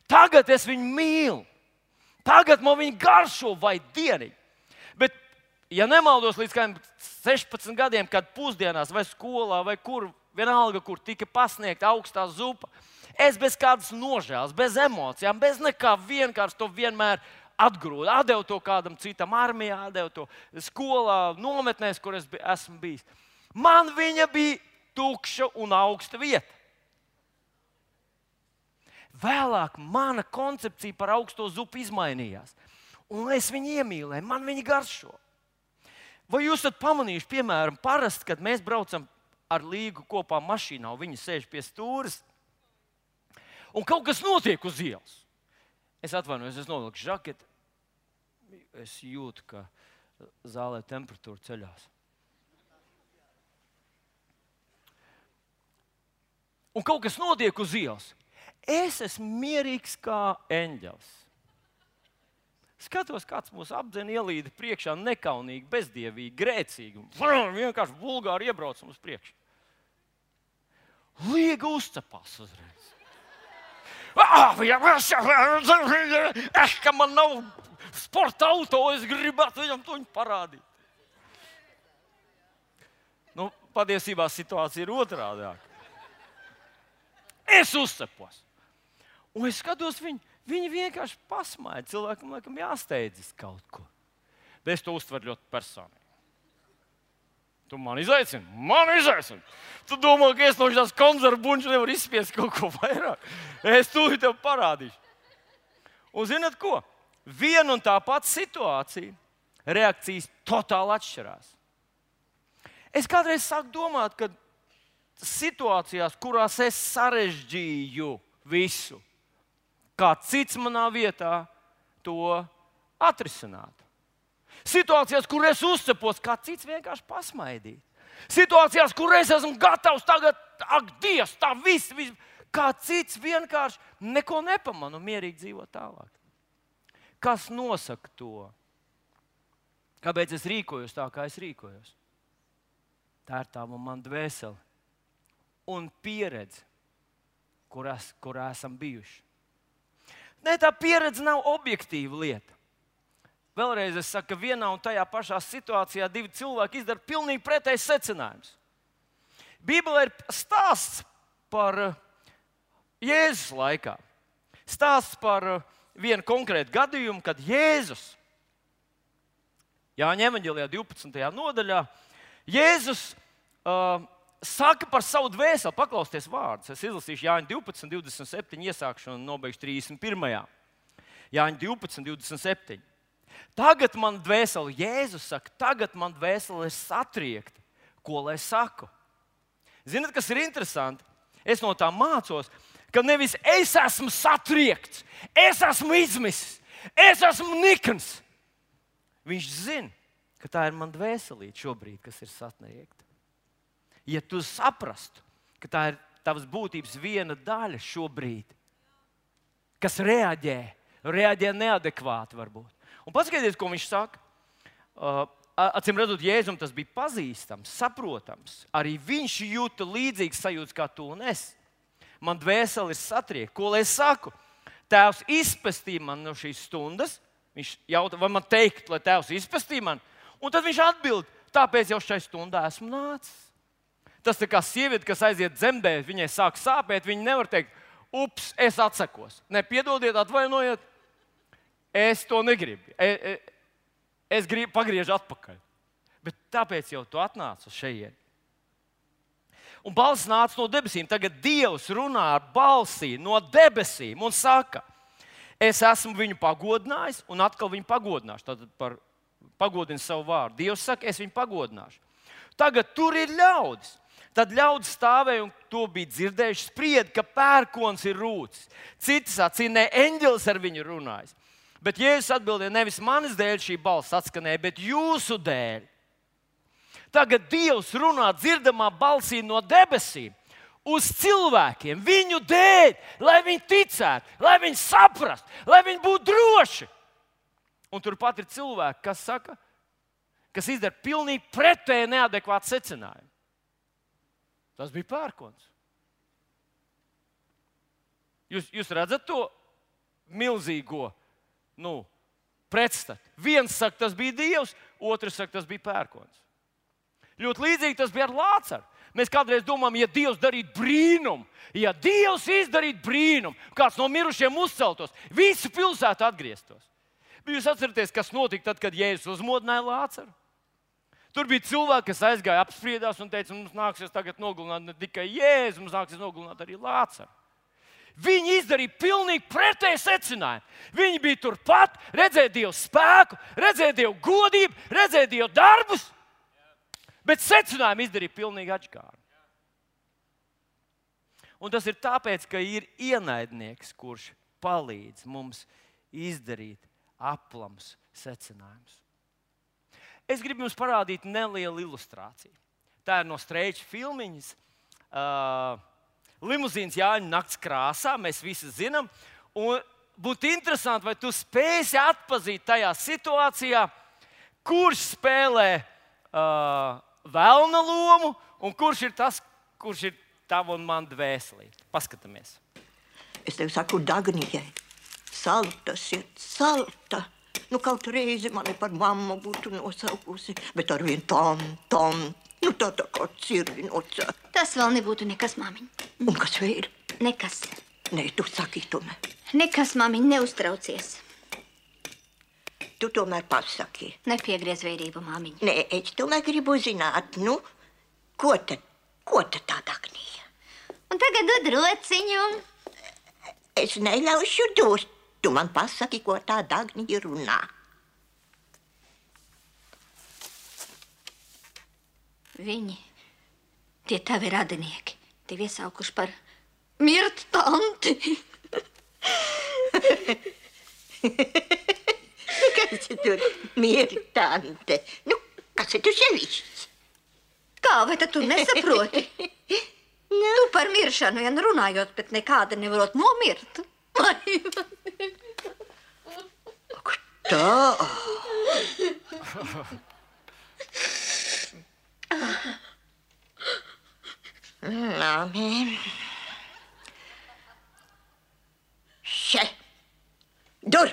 Tagad es viņu mīlu. Tagad man viņa garšo vai dieniņu. Bet, ja nemaldos līdz kādiem sešpadsmit gadiem, kad pusdienās vai skolā vai kur, vienalga, kur tika pasniegta augstā zupa, es bez kādas nožēlas, bez emocijām, bez nekā vienkārši to vienmēr atgrūdu. Atdevu to kādam citam armijā, atdevu to skolā, nometnēs, kur es esmu bijis. Man viņa bija tukša un augsta vieta. Vēlāk mana koncepcija par augsto zupu izmainījās. Un es viņu iemīlēju, man viņa garšo. Vai jūs esat pamanījuši, piemēram, parasti, kad mēs braucam ar Līgu kopā mašīnā, un viņi sēž pie stūres, un kaut kas notiek uz ielas. Es atvainojos, es novilku žaketi. Es jūtu, ka zālē temperatūra ceļās. Un kaut kas notiek uz ielas. Es esmu mierīgs kā eņģelis. Skatos, kāds mūs apdzen, ielīda priekšā nekaunīgi, bezdievīgi, grēcīgi. Vienkārši vulgāri iebraucam uz priekšu. Līga uzcepās uzreiz. Es, ka man nav sporta auto, es gribētu viņam to parādīt. Nu, patiesībā situācija ir otrādāka. Es uzcepos. Un es skatos, viņi, viņi vienkārši pasmaida. Cilvēkam laikam jāsteidzas kaut ko. Bet es to uztveru ļoti personīgi. Tu man izaicini? Man izaicini! Tu domā, ka es no šās konzervu bunča nevaru izspiest kaut ko vairāk? Es tūlīt tev parādīšu. Un zināt ko? Viena un tā pati situācija, reakcijas totāli atšķirās. Es kādreiz sāku domāt, ka situācijās, kurās es sarežģīju visu, kā cits manā vietā to atrisinātu. Situācijās, kur es uzcepos, kā cits vienkārši pasmaidīt. Situācijās, kur es esmu gatavs tagad, ak, Dievs, tā viss, viss, kā cits vienkārši neko nepamana un mierīgi dzīvo tālāk. Kas nosaka to? Kāpēc es rīkojos tā, kā es rīkojos? Tā ir tā man dvēsele un pieredze, kur, es, kur esam bijuši. Nē, tā pieredze nav objektīva lieta. Vēlreiz es saku, ka vienā un tajā pašā situācijā divi cilvēki izdara pilnīgi pretējs secinājums. Bībelē ir stāsts par Jēzus laikā. Stāsts par vienu konkrētu gadījumu, kad Jēzus, Jāņa evaņģēlijā divpadsmitajā nodaļā, Jēzus uh, saka par savu dvēseli, paklausieties vārdus. Es izlasīšu Jāņa divpadsmit, divdesmit septiņi, iesākšu un nobeigšu trīsdesmit pirmajā. Jāņa divpadsmit, divdesmit septiņi. Tagad man dvēsele, Jēzus saka, tagad man dvēsele ir satriekta. Ko lai saku? Ziniet, kas ir interesanti? Es no tā mācos, ka nevis es esmu satriekts, es esmu izmisis, es esmu nikns. Viņš zina, ka tā ir man dvēselīte šobrīd, kas ir satriekta. Ja tu saprastu, ka tā ir tavas būtības viena daļa šobrīd, kas reaģē, reaģē neadekvāti varbūt. Un paskatieties, ko viņš saka. Uh, Acīm redzot, Jēzum tas bija pazīstams, saprotams. Arī viņš jūta līdzīgas sajūtas kā tu un es. Man dvēsele ir satriekta. Ko lai es saku? Tēvs izpestīja man no šīs stundas. Viņš jautā, vai man teikt, lai Tēvs izpestīja man? Un tad viņš atbild, tāpēc jau šai stundā esmu nācis. Tas tā kā sieviete, kas aiziet dzemdēt, viņai sāk sāpēt, viņa nevar teikt, ups, es atsakos. Ne, piedodiet, atvainojiet. Es to negribu. Es, es gribu pagriezt atpakaļ. Bet tāpēc jau tu atnāc uz šejienes. Un balss nāca no debesīm. Tagad Dievs runā ar balsī no debesīm un saka, es esmu viņu pagodinājis un atkal viņu pagodināšu. Tad par pagodinu savu vārdu. Dievs saka, es viņu pagodināšu. Tagad tur ir ļaudis. Tad ļaudis stāvēja un to bija dzirdējuši, spried, ka pērkons ir rūcis. Citi sacīja, ne, eņģelis ar viņu runājis. Bet Jēzus atbildēja, nevis manis dēļ šī balss atskanēja, bet jūsu dēļ. Tagad Dievs runā dzirdamā balsī no debesīm uz cilvēkiem, viņu dēļ, lai viņi ticētu, lai viņi saprastu, lai viņi būtu droši. Un turpat ir cilvēki, kas saka, kas izdara pilnīgi pretēji neadekvātu secinājumu. Tas bija pērkons. Jūs, jūs redzat to milzīgo Nu, pretstat. Viens saka, tas bija Dievs, otrs saka, tas bija pērkons. Ļoti līdzīgi tas bija ar Lācaru. Mēs kādreiz domājam, ja Dievs darītu brīnumu, ja Dievs izdarītu brīnumu, kāds no mirušiem uzceltos, visu pilsētu atgrieztos. Bet jūs atceraties, kas notika tad, kad Jēzus uzmodināja Lācaru? Tur bija cilvēki, kas aizgāja apspriedās un teica, mums nāksies tagad nogalināt ne tikai Jēzu, mums nāksies nogalināt arī Lācaru. Viņi izdarīja pilnīgi pretēju secinājumu. Viņi bija turpat, redzēja Dievu spēku, redzēja Dievu godību, redzēja Dievu darbus, bet secinājumu izdarīja pilnīgi atšķirīgi. Un tas ir tāpēc, ka ir ienaidnieks, kurš palīdz mums izdarīt aplams secinājumus. Es gribu jums parādīt nelielu ilustrāciju. Tā ir no Streiča filmiņas. Uh, Limuzīns Jāņa nakts krāsā, mēs visi zinām. Un būtu interesanti, vai tu spēsi atpazīt tajā situācijā, kurš spēlē uh, velna lomu un kurš ir tas, kurš ir tava un man dvēselīte. Paskatāmies. Es tev saku Dagnijai, salta šeit, salta. Nu, kaut reizi mani par mammu būtu nosaukusi, bet ar vien tam, tam. Nu, tā tā kā cirvinoca. Tas vēl nebūtu nekas, māmiņ. Un kas vēl? Nekas. Nē, tu saki tomēr. Nekas, māmiņ, neuztraucies. Tu tomēr pasaki. Nepiegriez vērību, māmiņ. Nē, es tomēr gribu zināt, nu, ko tad, ko tad tā Dagnija? Un tagad dod rociņu. Es neļaušu dot. Tu man pasaki, ko tā Dagnija runā. Viņi, tie tavi radinieki, tevi iesaukuši par mirtu tanti. Kas ir tur mirtu tante? Nu, kas ir tu sevišķis? Kā, vai tad tu nesaproti? Nu, tu par miršanu vien runājot, bet nekāda nevarot nomirt. Ak, Tā. Labi. Še. Dur.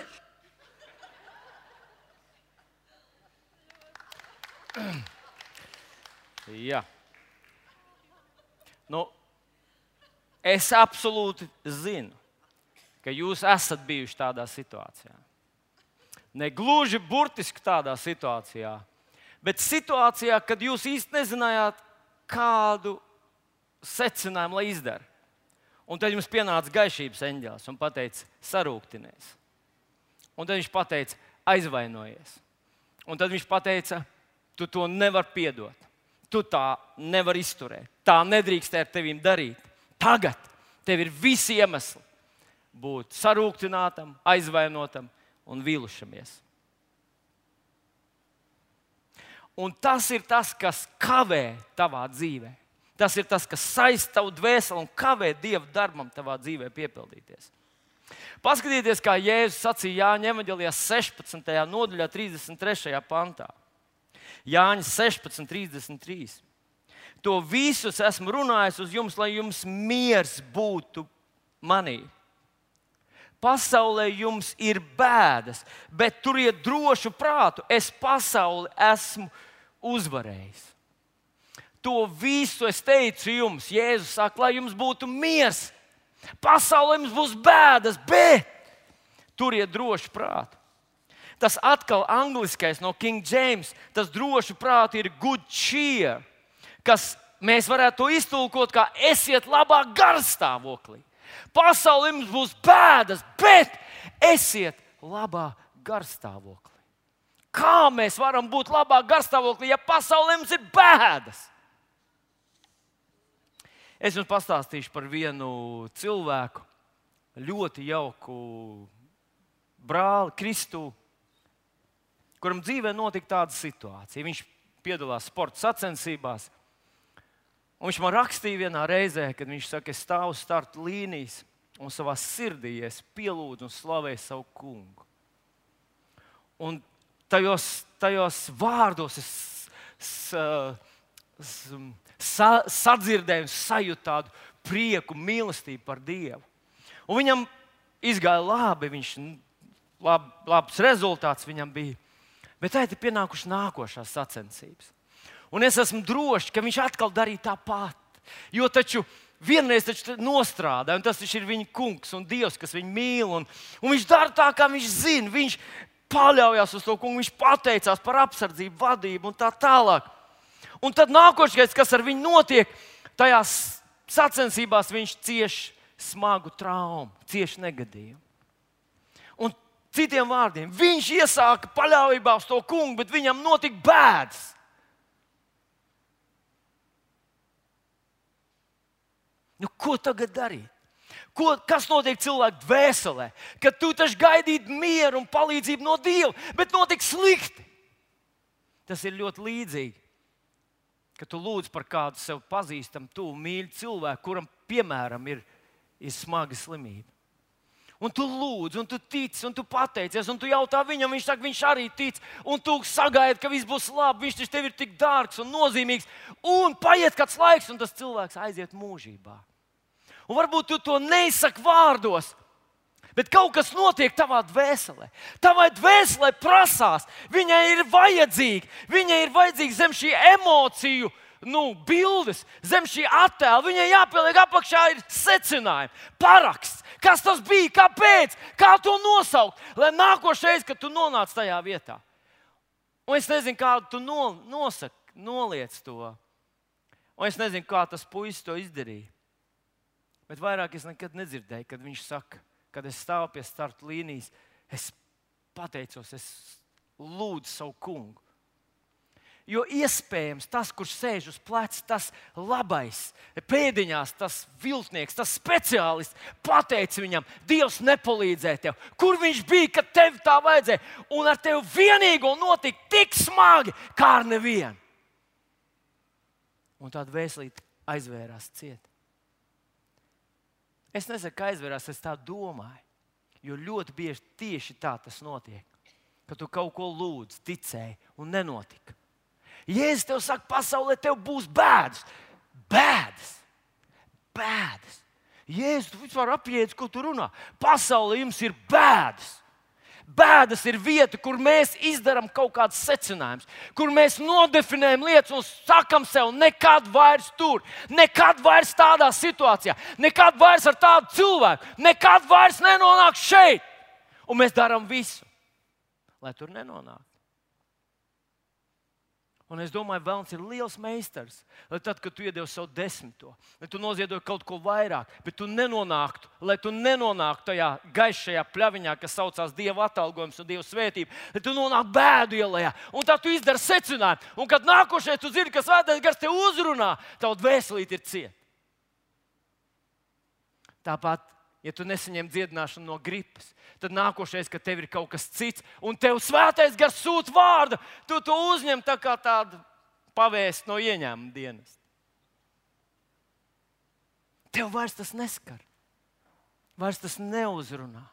Jā. Nu, es absolūti zinu, ka jūs esat bijuši tādā situācijā. Ne gluži burtiski tādā situācijā, bet situācijā, kad jūs īsti nezinājāt, kādu secinājumu lai izdara. Un tad jums pienāca gaišības eņģēlis un pateica, sarūktinies. Un tad viņš pateica, aizvainojies. Un tad viņš pateica, tu to nevari piedot. Tu tā nevari izturēt. Tā nedrīkst ar tevīm darīt. Tagad tev ir visi iemesli būt sarūktinātam, aizvainotam un vīlušamies. Un tas ir tas, kas kavē tavā dzīvē. Tas ir tas, kas saista tavu dvēseli un kavē Dieva darbam tavā dzīvē piepildīties. Paskatieties, kā Jēzus sacīja Jāņa evaņģēlijā sešpadsmitajā nodaļā, trīsdesmit trešajā pantā. Jāņa sešpadsmit, trīsdesmit trīs. To visus esmu runājis uz jums, lai jums miers būtu manī. Pasaulē jums ir bēdas, bet turiet drošu prātu. Es pasauli esmu uzvarējis. To visu es teicu jums. Jēzus saka, lai jums būtu miers. Pasaulē jums būs bēdas, bet turiet drošu prātu. Tas atkal angliskais no King James, tas drošu prātu ir good cheer, kas mēs varētu to iztulkot kā esiet labā garstāvoklī. Pasaulē jums būs bēdas, bet esiet labā garstāvoklī. Kā mēs varam būt labā garstāvoklī, ja pasaulē mums ir bēdas? Es jums pastāstīšu par vienu cilvēku, ļoti jauku brāli Kristu, kuram dzīvē notika tāda situācija. Viņš piedalās sporta sacensībās. Un viņš man rakstīja vienā reizē, kad viņš saka, es stāvu starta līnijas un savā sirdī es pielūdzu un slavēju savu kungu. Un tajos, tajos vārdos es s, s, sa, sadzirdēju un sajūtu tādu prieku, mīlestību par Dievu. Un viņam izgāja labi, viņš, lab, labs rezultāts viņam bija. Bet tā ir pienākušas nākošās sacensības. Un es esmu drošs, ka viņš atkal darīja tāpat. Jo taču vienreiz taču nostrādāja, un tas taču ir viņa kungs un Dievs, kas viņu mīl. Un, un viņš dara tā, kā viņš zina. Viņš paļaujas uz to kungu, viņš pateicās par apsardzību, vadību un tā tālāk. Un tad nākošais, kas ar viņu notiek, tajās sacensībās viņš cieš smagu traumu, cieš negadījumu. Un citiem vārdiem, viņš iesāka paļāvībā uz to kungu, bet viņam notika bēdas. Nu, ko tagad darīt? Ko, kas notiek cilvēku dvēselē? Kad tu taču gaidītu mieru un palīdzību no Dieva, bet notiek slikti. Tas ir ļoti līdzīgi, kad tu lūdz par kādu sev pazīstamu, tuvu mīļu cilvēku, kuram, piemēram, ir, ir smaga slimība. Un tu lūdz, un tu tici, un tu pateicies, un tu jautā viņam, viņš saka, viņš arī tic, un tu sagaidi, ka viss būs labi, viņš tev ir tik dārgs un nozīmīgs, un paiet kāds laiks, un tas cilvēks aiziet mūžībā. Un varbūt tu to neizsaki vārdos, bet kaut kas notiek tavā dvēselē. Tavai dvēselē prasās, viņai ir vajadzīgi, viņai ir vajadzīgi zem šī emociju, nu, bildes, zem šī attēla, viņai jāpieliek apakšā ir secinājumi, paraksts. Kas tas bija, kāpēc, kā to nosaukt, lai nākošais, kad tu nonāc tajā vietā. Un es nezinu, kā tu no, nosaki, noliec to. Un es nezinu, kā tas puisis to izdarīja. Bet vairāk es nekad nedzirdēju, kad viņš saka, kad es stāvu pie starta līnijas, es pateicos, es lūdzu savu kungu. Jo iespējams tas, kurš sēž uz pleca, tas labais, pēdiņās, tas viltnieks, tas speciālists, pateica viņam, Dievs nepalīdzēja tev. Kur viņš bija, kad tev tā vajadzēja? Un ar tevi vienīgo notika tik smagi, kā ar nevienu. Un tāda vēslīte aizvērās ciet. Es nesaku, ka aizvērās, es tā domāju, jo ļoti bieži tieši tā tas notiek. ka tu kaut ko lūdzi, ticēji un nenotika. Jēzus tev saka, pasaulē tev būs bēdas. Bēdas. Bēdas. Jēzus, tu vispār apjēdz, ko tu runā. Pasaulē jums ir bēdas. Bēdas ir vieta, kur mēs izdarām kaut kādus secinājumus, kur mēs nodefinējam lietas un sakam sev, nekad vairs tur, nekad vairs tādā situācijā, nekad vairs ar tādu cilvēku, nekad vairs nenonāk šeit. Un mēs darām visu, lai tur nenonāktu. Un es domāju, Velns ir liels meistars. Lai tad, kad tu iedevi savu desmito, lai tu noziedoji kaut ko vairāk, bet tu nenonāktu, lai tu nenonāktu tajā gaišajā pļaviņā, kas saucās Dieva atalgojums un Dieva svētība, lai tu nonāktu bēdu ielā. Un tā tu izdari secinājumu. Un kad nākošais tu zini, ka Svētais Gars te uzrunā, tavu dvēselīti ir cieta. Tāpat, ja tu nesaņem dziedināšanu no gripas, tad nākošais, kad tev ir kaut kas cits, un tev Svētais Gars sūta vārdu, tu to uzņem tā kā tādu pavēstu no ieņēmuma dienas. Tev vairs tas neskar. Vairs tas neuzrunā.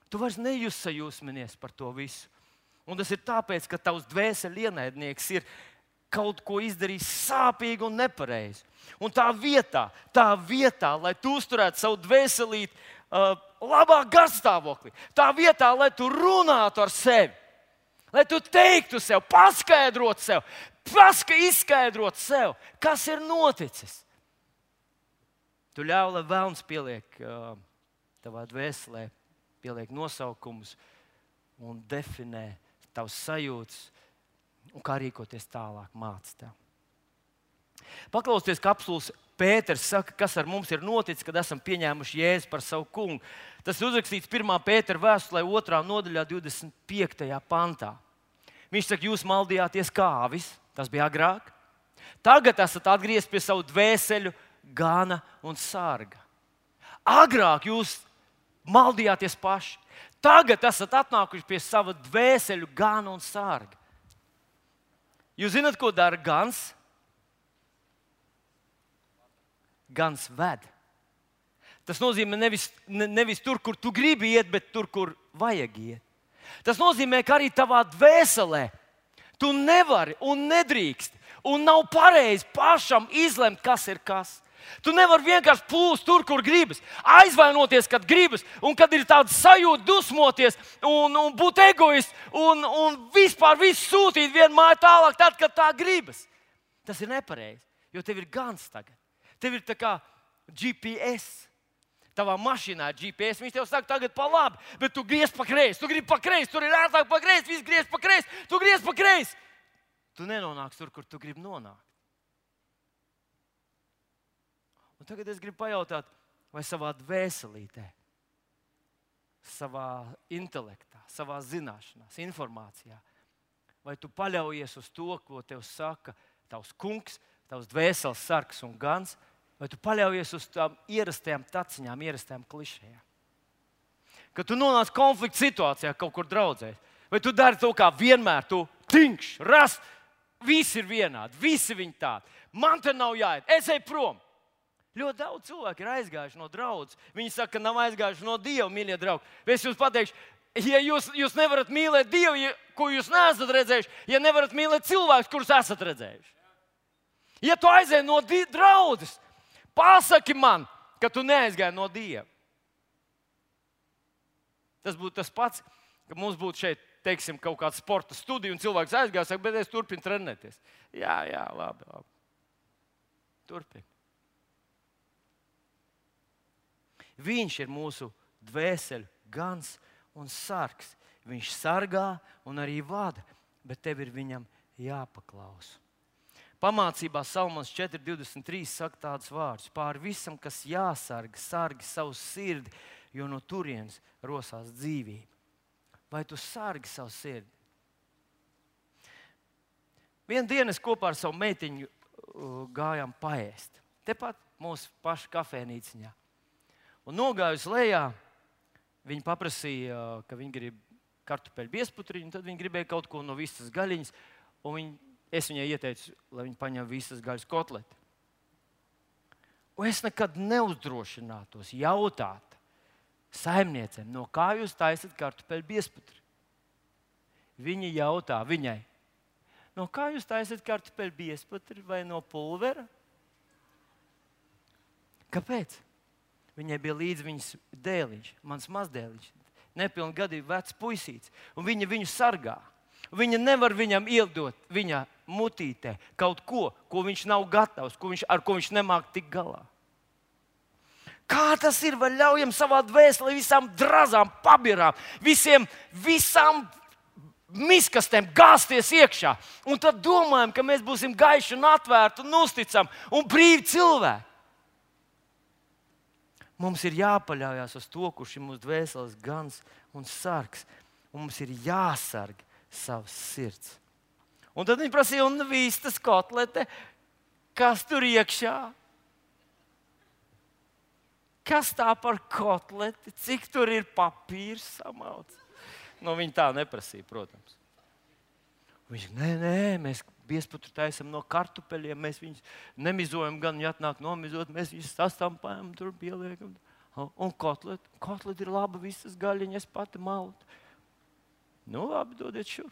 Tu vairs nejūsajūsminies par to visu. Un tas ir tāpēc, ka tavs dvēseli ienaidnieks ir kaut ko izdarījis sāpīgi un nepareizi. Un tā vietā, tā vietā, lai tu uzturētu savu dvēselīti uh, labā garstāvoklī, tā vietā, lai tu runātu ar sevi, lai tu teiktu sev, paskaidrotu sev, paska izskaidrotu sev, kas ir noticis. Tu ļauj, lai Velns pieliek uh, tavā dvēselē, pieliek nosaukumus un definē tavas sajūtas, un kā rīkoties tālāk, māc tev. Paklausieties, kā apstults Pēters saka, kas ar mums ir noticis, kad esam pieņēmuši Jēzu par savu kungu. Tas ir uzrakstīts pirmā Pētera vēstulē, otrā nodaļā, divdesmit piektajā pantā. Viņš saka, jūs maldījāties kā avis, tas bija agrāk. Tagad esat atgriezies pie savu dvēseļu gana un sarga. Agrāk jūs maldījāties paši. Tagad esat atnākuši pie sava dvēseļu gana un sarga. Jūs zināt, ko dara gans? Gans ved. Tas nozīmē nevis, ne, nevis tur, kur tu gribi iet, bet tur, kur vajag iet. Tas nozīmē, ka arī tavā dvēselē tu nevari un nedrīkst un nav pareizi pašam izlemt, kas ir kas. Tu nevari vienkārši plūst tur, kur gribas, aizvainoties, kad gribas, un kad ir tāda sajūta dusmoties un, un būt egoists un, un vispār visu sūtīt vienmēr tālāk, tad, kad tā gribas. Tas ir nepareizi, jo tev ir gans tagad. Tev ir tā kā G P S. Tavā mašīnā ir G P S. Viņš tev saka, tagad pa labi, bet tu griez pa kreisi. Tu gribi pa kreisi, tur ir ērtāk pa kreisi, viss griez pa kreisi, tu griez pa kreisi. Tu nenonāks tur, kur tu gribi nonākt. Un tagad es gribu pajautāt, vai savā dvēselītē, savā intelektā, savā zināšanās, informācijā, vai tu paļaujies uz to, ko tev saka tavs kungs, tavs dvēseles sargs un gans, vai tu paļaujies uz tām ierastajām taciņām, ierastajām klišejām. Kad tu nonāc konflikta situācijā kaut kur draudzēs, vai tu dari to kā vienmēr, tu tinkš, rast, visi ir vienādi, visi viņi tādi. Man te nav jāiet, es eju prom. Ļoti daudz cilvēku ir aizgājuši no draudzes. Viņi saka, ka nav aizgājuši no Dieva, mīļie draugi. Es jums pateikšu, ja jūs, jūs nevarat mīlēt Dievu, ja, ko jūs neesat redzējuši, ja nevarat mīlēt cilvēkus, kurus esat redzējuši. Ja tu aizēji no draudzes, pasaki man, ka tu neaizgāji no Dieva. Tas būtu tas pats, ka mums būtu šeit, teiksim, kaut kāda sporta studija, un cilvēks aizgāja, saka, bet es turpinu trenēties. Jā, jā, labi, labi. Turpini. Viņš ir mūsu dvēseļu gans un sargs. Viņš sargā un arī vada, bet tev ir viņam jāpaklausa. Pamācībā Salmons četri divdesmit trīs saka tādus vārdus: pār visam, kas jāsarga, sargi savu sirdi, jo no turienes rosās dzīvība. Vai tu sargi savu sirdi? Vienu dienu es kopā ar savu meitiņu gājām paēst. Tepat mūsu paša kafēnīciņā. Un nogājus lejā, viņi paprasīja, ka viņi grib kartupeļu biezputriņu, tad viņi gribēja kaut ko no visas gaļiņas, un viņi, es viņai ieteicu, lai viņi paņem visas gaļas kotleti. Un es nekad neuzdrošinātos jautāt saimniecēm, no kā jūs taisat kartupeļu biezputri. Viņa jautā viņai, no kā jūs taisat kartupeļu biezputri vai no pulvera? Kāpēc? Viņai bija līdz viņas dēliņš, mans mazdēliņš, nepilngadīgu vecs puisīts, un viņa viņu sargā. Viņa nevar viņam iedot viņa mutītē kaut ko, ko viņš nav gatavs, ko viņš, ar ko viņš nemāk tik galā. Kā tas ir, vai ļaujam savā dvēselē visām drazām, pabirām, visiem, visām miskastēm gāzties iekšā. Un tad domājam, ka mēs būsim gaiši un atvērti un uzticami un brīvi cilvēki. Mums ir jāpaļaujas uz to, kurš ir mūsu dvēseles gans un sargs. Un mums ir jāsarg savs sirds. Un tad viņi prasīja, un vistas kotlete, kas tur iekšā? Kas tā par kotleti? Cik tur ir papīrs samauts? Nu, viņi tā neprasīja, protams. Viņš, nē, nē, mēs biezputru taisam no kartupeļiem, mēs viņus nemizojam, gan ja atnāk nomizot, mēs viņus sastampājam, tur pieliekam. Un kotlet, kotlet ir laba, visas gaļiņas pati maut. Nu, labi, dodiet šur.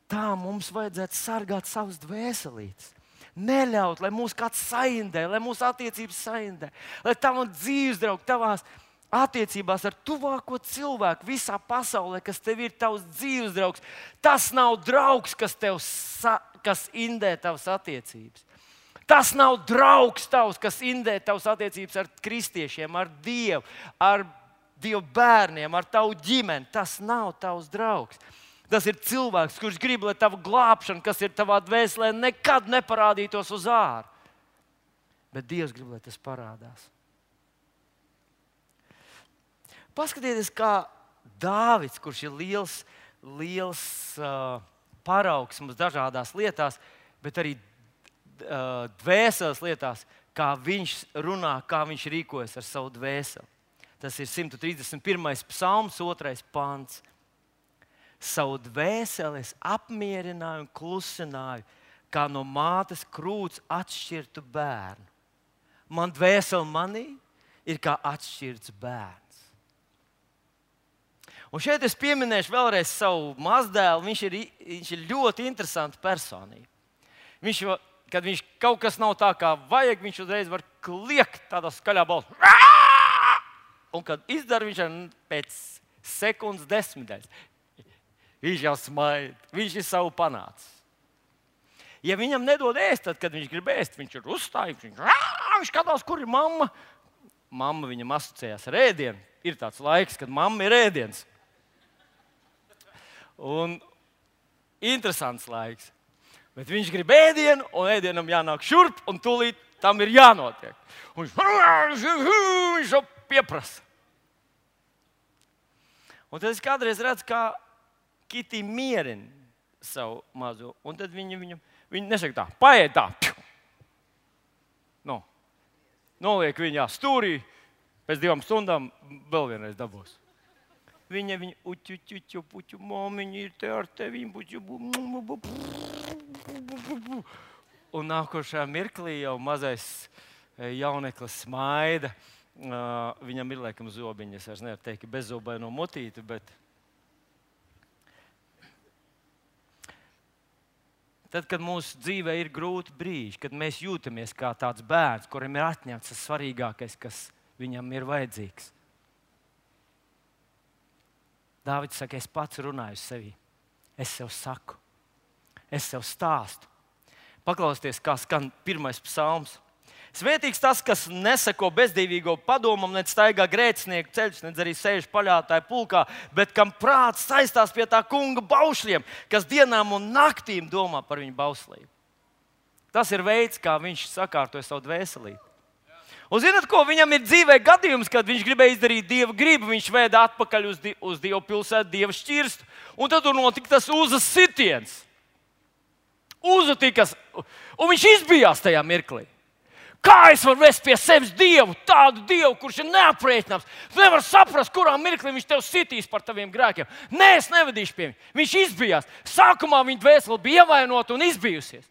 Tā mums vajadzētu sargāt savus dvēselītes. Neļaut, lai mūs kāds saindē, lai mūsu attiecības saindē, lai tavam dzīves draugi, tavās attiecībās ar tuvāko cilvēku visā pasaulē, kas tev ir tavs dzīves draugs, tas nav draugs, kas tev sa- kas indē tavas attiecības. Tas nav draugs tavs, kas indē tavas attiecības ar kristiešiem, ar Dievu, ar Dievu bērniem, ar tavu ģimeni. Tas nav tavs draugs. Tas ir cilvēks, kurš grib, lai tava glābšana, kas ir tavā dvēselē, nekad neparādītos uz ārā. Bet Dievs grib, lai tas parādās. Paskatieties, kā Dāvids, kurš ir liels, liels uh, paraugs mums dažādās lietās, bet arī uh, dvēseles lietās, kā viņš runā, kā viņš rīkojas ar savu dvēseli. Tas ir simt trīsdesmit pirmais psalms, otrais pants. Savu dvēseli es apmierināju un klusināju, kā no mātes krūts atšķirtu bērnu. Man dvēseli manī ir kā atšķirts bērns. Un šeit es pieminēšu vēlreiz savu mazdēlu. Viņš ir, viņš ir ļoti interesants personība. Viņš, kad viņš kaut kas nav tā, kā vajag, viņš uzreiz var kliegt tādā skaļā balsā. Un kad izdara, viņš ir pēc sekundes desmitdaļas. Viņš jau smaida, viņš ir savu panācis. Ja viņam nedod ēst, tad, kad viņš grib ēst, viņš ir uzstājis. Viņš, viņš skatās, kur ir mamma. Mamma viņam asociējās ar ēdienu. Ir tāds laiks, kad mamma ir ēdiens. Un interesants laiks. Bet viņš grib ēdienu, un ēdienam jānāk šurp, un tūlīt tam ir jānotiek. Un viņš, viņš jau pieprasa. Un tad es kādreiz redzu, kā Kitī mierina savu mazo. Un tad viņa viņam, viņa nesaka tā, paēd tā. No. Noliek viņā stūrī, pēc divām stundām vēl vienreiz dabūs. Viņa viņa uķu, uķu, uķu, momiņi ir te ar tevi. Un nākošā mirklī jau mazais jauneklis smaida. Uh, viņam ir laikam zobiņas, es vairs nevaru teikt, ka bezzobaino mutīti, bet tad, kad mūsu dzīvē ir grūti brīži, kad mēs jūtamies kā tāds bērns, kuram ir atņemts tas svarīgākais, kas viņam ir vajadzīgs. Dāvids saka, es pats runāju sevi. Es sev saku. Es sev stāstu. Paklausieties, kā skan pirmais psalms. Svētīgs tas, kas neseko bezdīvīgo padomam, ne staigā grēcinieku ceļus, ne arī sēž paļātāju pulkā, bet kam prāts saistās pie tā kunga baušļiem, kas dienām un naktīm domā par viņu bauslību. Tas ir veids, kā viņš sakārtoja savu dvēselīti. Un zināt, ko viņam ir dzīvē gadījums, kad viņš gribēja izdarīt Dieva gribu, viņš vēda atpakaļ uz, di uz Dievu pilsētu, Dieva šķirstu, un tad tur notika tas uzas sitiens. Uzatikas, un viņš izbijās tajā mirklī. Kā es varu vest pie sevis Dievu, tādu Dievu, kurš ir neaprēķināms? Tu nevari saprast, kurā mirklī viņš tev sitīs par taviem grēkiem. Nē, es nevedīšu pie viņa. Viņš izbijās. Sākumā viņa dvēsele bija ievainota un izbijusies.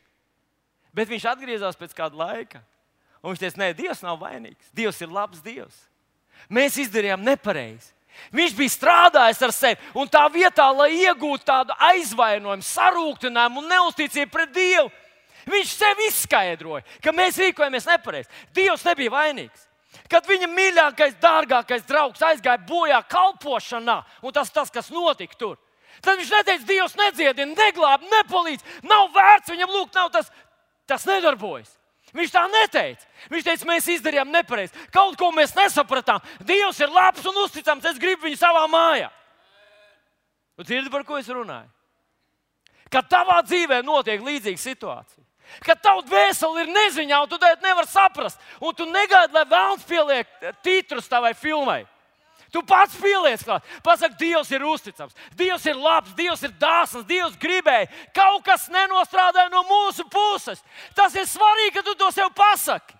Bet viņš atgriezās pēc kāda laika. Un viņš teica, nē, Dievs nav vainīgs. Dievs ir labs Dievs. Mēs izdarījām nepareizi. Viņš bija strādājis ar sevi, un tā vietā, lai iegūtu tādu aizvainojumu, sarūktinājumu un neusticību pret Dievu, viņš sev izskaidroja, ka mēs rīkojamies nepareizi. Dievs nebija vainīgs. Kad viņa mīļākais, dārgākais draugs aizgāja bojā kalpošanā, un tas tas, kas notika tur, tad viņš neteica, Dievs nedziedina, neglāb, nepalīdz, nav vērts viņam lūgt, nav tas, tas nedarbojas. Viņš tā neteica. Viņš teica, mēs izdarījām nepareizi. Kaut ko mēs nesapratām. Dievs ir labs un uzticams, es gribu viņu savā mājā. Tu dzirdi, par ko es runāju? Kad tavā dzīvē notiek līdzīga situācija, kad tavs dvēseli ir neziņā, un tu to nevari saprast, un tu negaidi, lai vēlns pieliek titrus tavai filmai. Tu pats pieliec klāt. Pasaki, Dievs ir uzticams, Dievs ir labs, Dievs ir dāsns, Dievs gribēja. Kaut kas nenostrādāja no mūsu puses. Tas ir svarīgi, ka tu to sev pasaki.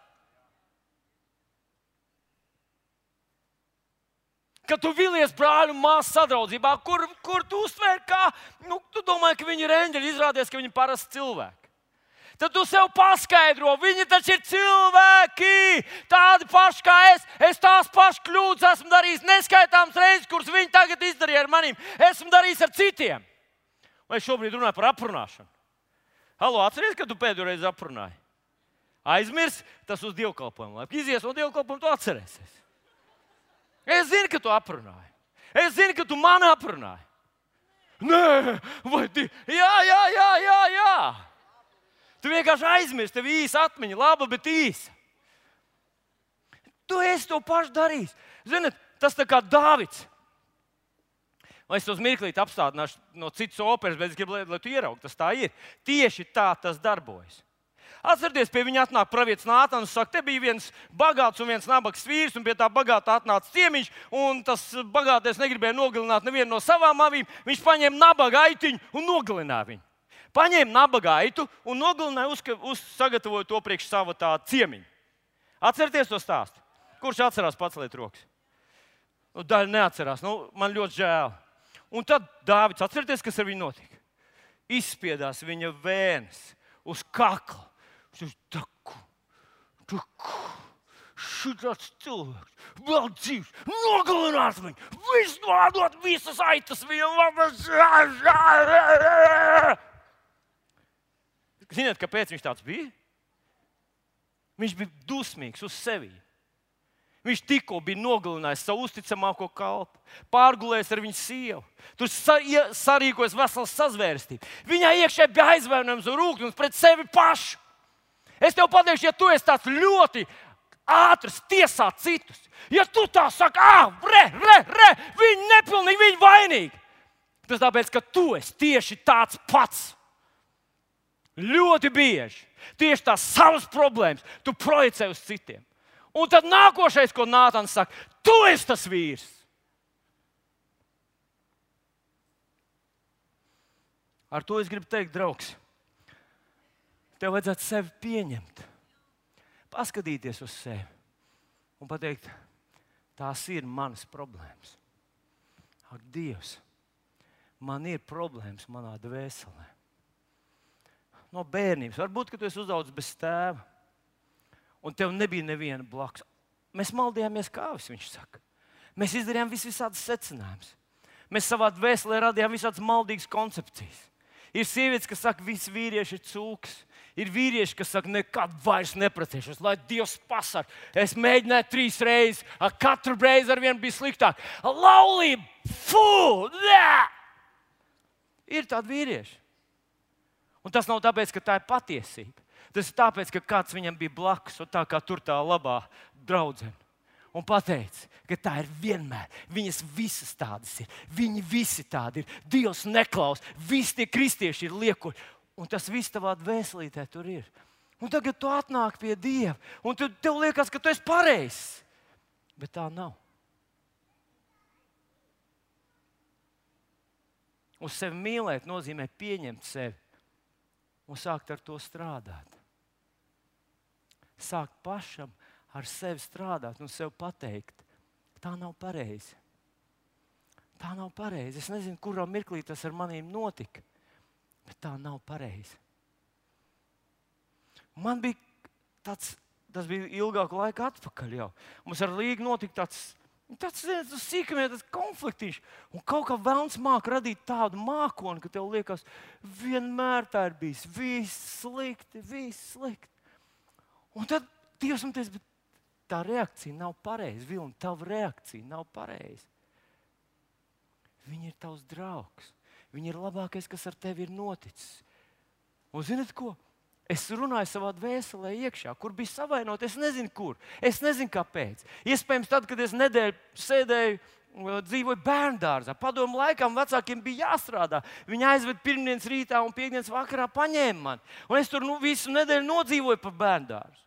Kad tu vilies brāļu un māsu sadraudzībā, kur, kur tu uztvēri kā, nu, tu domāji, ka viņi ir eņģeļi, izrādies, ka viņi ir parasti cilvēki. Tad tu sev paskaidro, viņi taču ir cilvēki, tādi paši kā es. Es tās pašas kļūdas esmu darījis neskaitāmas reizes, kuras viņi tagad izdarīja ar maniem. Esmu darījis ar citiem. Vai šobrīd runāju par aprunāšanu? Halo, atceries, kad tu pēdējo reizi aprunāji? Aizmirs, tas uz dievkalpojumu. Lai izies no dievkalpojuma, tu atcerēsies. Es zinu, ka tu aprunāji. Es zinu, ka tu mani aprunāji. Nē, vai di... Jā, jā, jā, jā, jā. Tu vienkārši aizmirsti, tev īsa atmiņa, laba, bet īsa. Tu esi to pašu darījis. Ziniet, tas tā kā Dāvids. Vai es tos mirklīt apstādināšu no citas operas, bet es gribu, lai, lai tu ieraugtu, tas tā ir. Tieši tā tas darbojas. Atcerieties, pie viņa atnāk pravietis Nātans un saka, te bija viens bagāts un viens nabags vīrs, un pie tā bagātā atnāca ciemiņš, un tas bagātais negribēja nogalināt nevienu no savām avīm. Viņš paņēma nabaga aitiņu un nogalināja viņu. Paņēma nabaga aitu un nogalināja, uz, uz sagatavoja to priekš sava tā ciemiņa. Atcerieties to stāstu. Kurš atcerās, paceliet rokas? Nu, daļa neatcerās. Nu, man ļoti žēl. Un tad Dāvids, atcerieties, kas ar viņu notika? Izspiedās viņa vēnes uz kakla. Viņš taku, taku, šitāds cilvēks, vēl dzīvs, nogalināt viņu, visu nodot, visas aitas viņam. Ziniet, kāpēc viņš tāds bija? Viņš bija dusmīgs uz sevi. Viņš tikko bija nogalinājis savu uzticamāko kalpu, pārgulējis ar viņu sievu. Tur sarīkojas vesels sazvērstība. Viņai iekšē bija aizvainojums un rūkums pret sevi pašu. Es tev pateikšu, ja tu esi tāds ļoti ātrs tiesāt citus, ja tu tā saki, ah, re, re, re, viņi nepilnīgi, viņi vainīgi, tas tāpēc, ka tu esi tieši tāds pats. Ļoti bieži tieši tās savas problēmas tu projicē uz citiem. Un tad nākošais, ko Nātans saka, tu esi tas vīrs. Ar to es gribu teikt, draugs, tev vajadzētu sevi pieņemt, paskatīties uz sevi un pateikt, tās ir manas problēmas. Ak, Dievs, man ir problēmas manā dvēselē. No bērnības. Varbūt, ka tu esi uzaudzis bez tēva, un tev nebija neviena blakus. Mēs maldījāmies kāvis, viņš saka. Mēs izdarījām vis visādas secinājumus. Mēs savā dvēselē radījām visādas maldīgas koncepcijas. Ir sievietes, kas saka, visi vīrieši ir cūks. Ir vīrieši, kas saka, nekad vairs neprecēšos, lai Dievs pasarg. Es mēģināju trīs reizes, katru reizi ar vienu bija sliktāk. Laulība! Fū! Nē! Ir tādi vīrieši. Un tas nav tāpēc, ka tā ir patiesība. Tas ir tāpēc, ka kāds viņam bija blakus, un tā kā tur tā labā draudzene. Un pateica, ka tā ir vienmēr. Viņas visas tādas ir. Viņi visi tādi ir. Dievs neklaus. Visi tie kristieši ir liekuļi. Un tas viss tavā dvēselītē tur ir. Un tagad tu atnāk pie Dieva. Un tu, tev liekas, ka tu esi pareizs. Bet tā nav. Uz sevi mīlēt nozīmē pieņemt sevi. Un sākt ar to strādāt. Sākt pašam ar sevi strādāt un sev pateikt, tā nav pareizi. Tā nav pareizi. Es nezinu, kurā mirklī tas ar maniem notika, bet tā nav pareizi. Man bija tāds, tas bija ilgāku laiku atpakaļ jau. Mums ar Līgu notika tāds Tas ir tas sīkumiem, tas konfliktiņš. Un kaut kā velns māk radīt tādu mākoni, ka tev liekas, vienmēr tā ir bijis. Viss slikti, viss slikti. Un tad Dievs man teica, bet tā reakcija nav pareiza. Vilni, tava reakcija nav pareiza. Viņa ir tavs draugs. Viņa ir labākais, kas ar tevi ir noticis. Un zināt ko? Es runāju savā dvēselē iekšā, kur bija savainot. Es nezinu, kur. Es nezinu, kāpēc. Iespējams, tad, kad es nedēļu sēdēju, dzīvoju bērndārzā, padomu laikam vecākiem bija jāstrādā. Viņi aizved pirmdienas rītā un piekdienas vakarā paņēma mani. Un es tur nu, visu nedēļu nodzīvoju pa bērndārzu.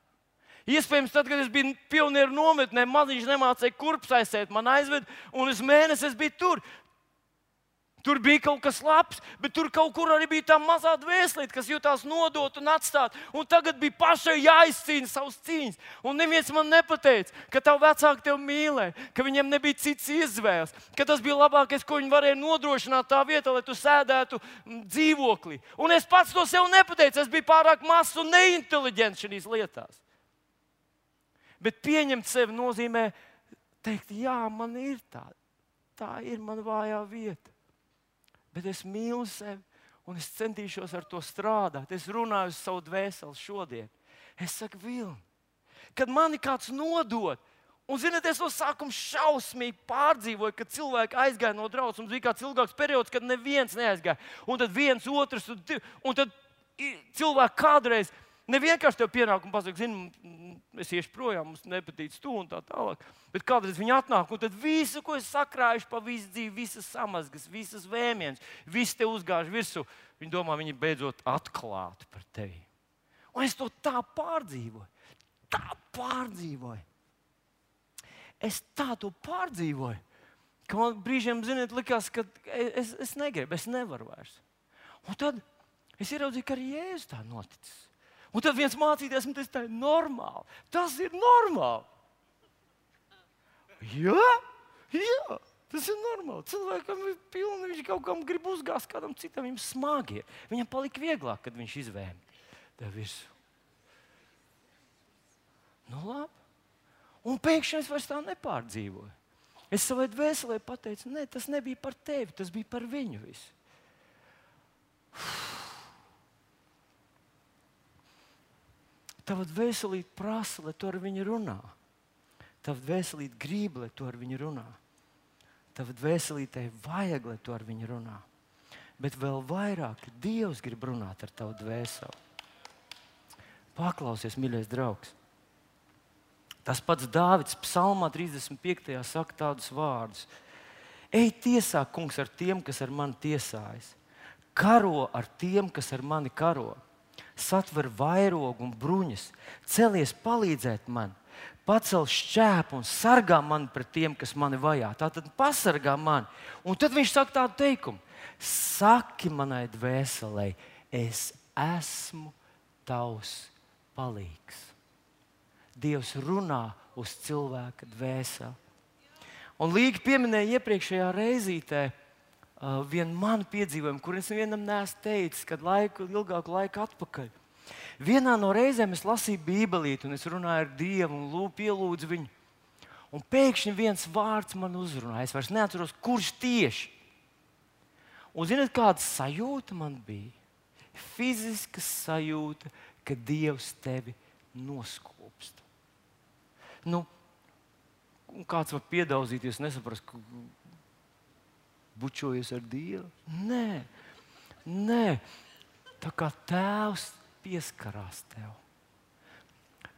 Iespējams, tad, kad es biju pionieru nometnē, maziņš nemācēja kurpes aizsēt, man aizved, un es mēnesi es biju tur. Tur bija kaut kas labs, bet tur kaut kur arī bija tā mazā dvēselīte, kas jutās nodot un atstāt. Un tagad bija pašai jāizcīna savas cīņas. Un neviens man nepateica, ka tavu vecāku tevi mīlēja, ka viņiem nebija cits izvēles, ka tas bija labākais, ko viņi varēja nodrošināt tā vietā, lai tu sēdētu dzīvoklī. Un es pats to sev nepateicu, es biju pārāk mazs un neinteliģents šīs lietās. Bet pieņemt sevi nozīmē teikt, jā, man ir tā, tā ir man vājā vieta. Bet es mīlu sevi, un es centīšos ar to strādāt. Es runāju uz savu dvēseli šodien. Es saku, Vilni, kad mani kāds nodod, un, ziniet, es no sākuma šausmīgi pārdzīvoju, kad cilvēki aizgāja no draudzes. Mums bija kāds ilgāks periods, kad neviens neaizgāja. Un tad viens, otrs, un, un tad cilvēki kādreiz nevienkārši tev pienāk un pasaka, zini, es iešu projām, mums nepatīc tu un tā tālāk. Bet kādreiz viņi atnāk, un tad visu, ko es sakrājuši pa visu dzīvi, visas samazgas, visas vēmienas, viss te uzgāž virsū, viņi domā, viņi beidzot atklāti par tevi. Un es to tā pārdzīvoju, tā pārdzīvoju. Es tā to pārdzīvoju, ka man brīžiem, ziniet, likās, ka es, es negribu, es nevaru vairs. Un tad es ieraudzīju, ka arī Jēzus tā noticis. Un tad viens mācītājs man teica, tā ir normāli. Tas ir normāli. Jā, jā, tas ir normāli. Cilvēkam ir pilni, viņš kaut kam grib uzgāzt, kādam citam viņam smagi. Viņam palika vieglāk, kad viņš izvēma tev virsū. Nu labi. Un pēkšņi es vairs tā nepārdzīvoju. Es savai dvēselē pateicu, nē, tas nebija par tevi, tas bija par viņu visu. Tava dvēselīte prasa, lai tu ar viņu runā. Tava dvēselīte grib, lai tu ar viņu runā. Tava dvēselītei vajag, lai tu ar viņu runā. Bet vēl vairāk Dievs grib runāt ar tavu dvēseli. Paklausies, mīļais draugs. Tas pats Dāvids psalmā trīsdesmit piektajā saka tādus vārdus. Ej tiesā, kungs, ar tiem, kas ar mani tiesājas. Karo ar tiem, kas ar mani karo. Satver vairogu un bruņas, celies palīdzēt man, pacel šķēpu un sargā mani pret tiem, kas mani vajā. Tātad pasargā mani. Un tad viņš saka tādu teikumu: saki manai dvēselei, es esmu tavs palīgs. Dievs runā uz cilvēka dvēseli. Un Līga pieminēja iepriekšējā reizītē Uh, vienu manu piedzīvojumu, kur es vienam neesmu teicis, kad laiku, ilgāku laiku atpakaļ. Vienā no reizēm es lasīju Bībelīti, un es runāju ar Dievu un lūdzu, pielūdzu viņu. Un pēkšņi viens vārds man uzrunāja. Es vairs neatceros, kurš tieši. Un ziniet, kāda sajūta man bija? Fiziska sajūta, ka Dievs tevi noskopst. Nu, kāds var piedauzīties, nesaprast, ka bučojies ar Dievu? Nē, nē. Tā kā Tēvs pieskarās tev.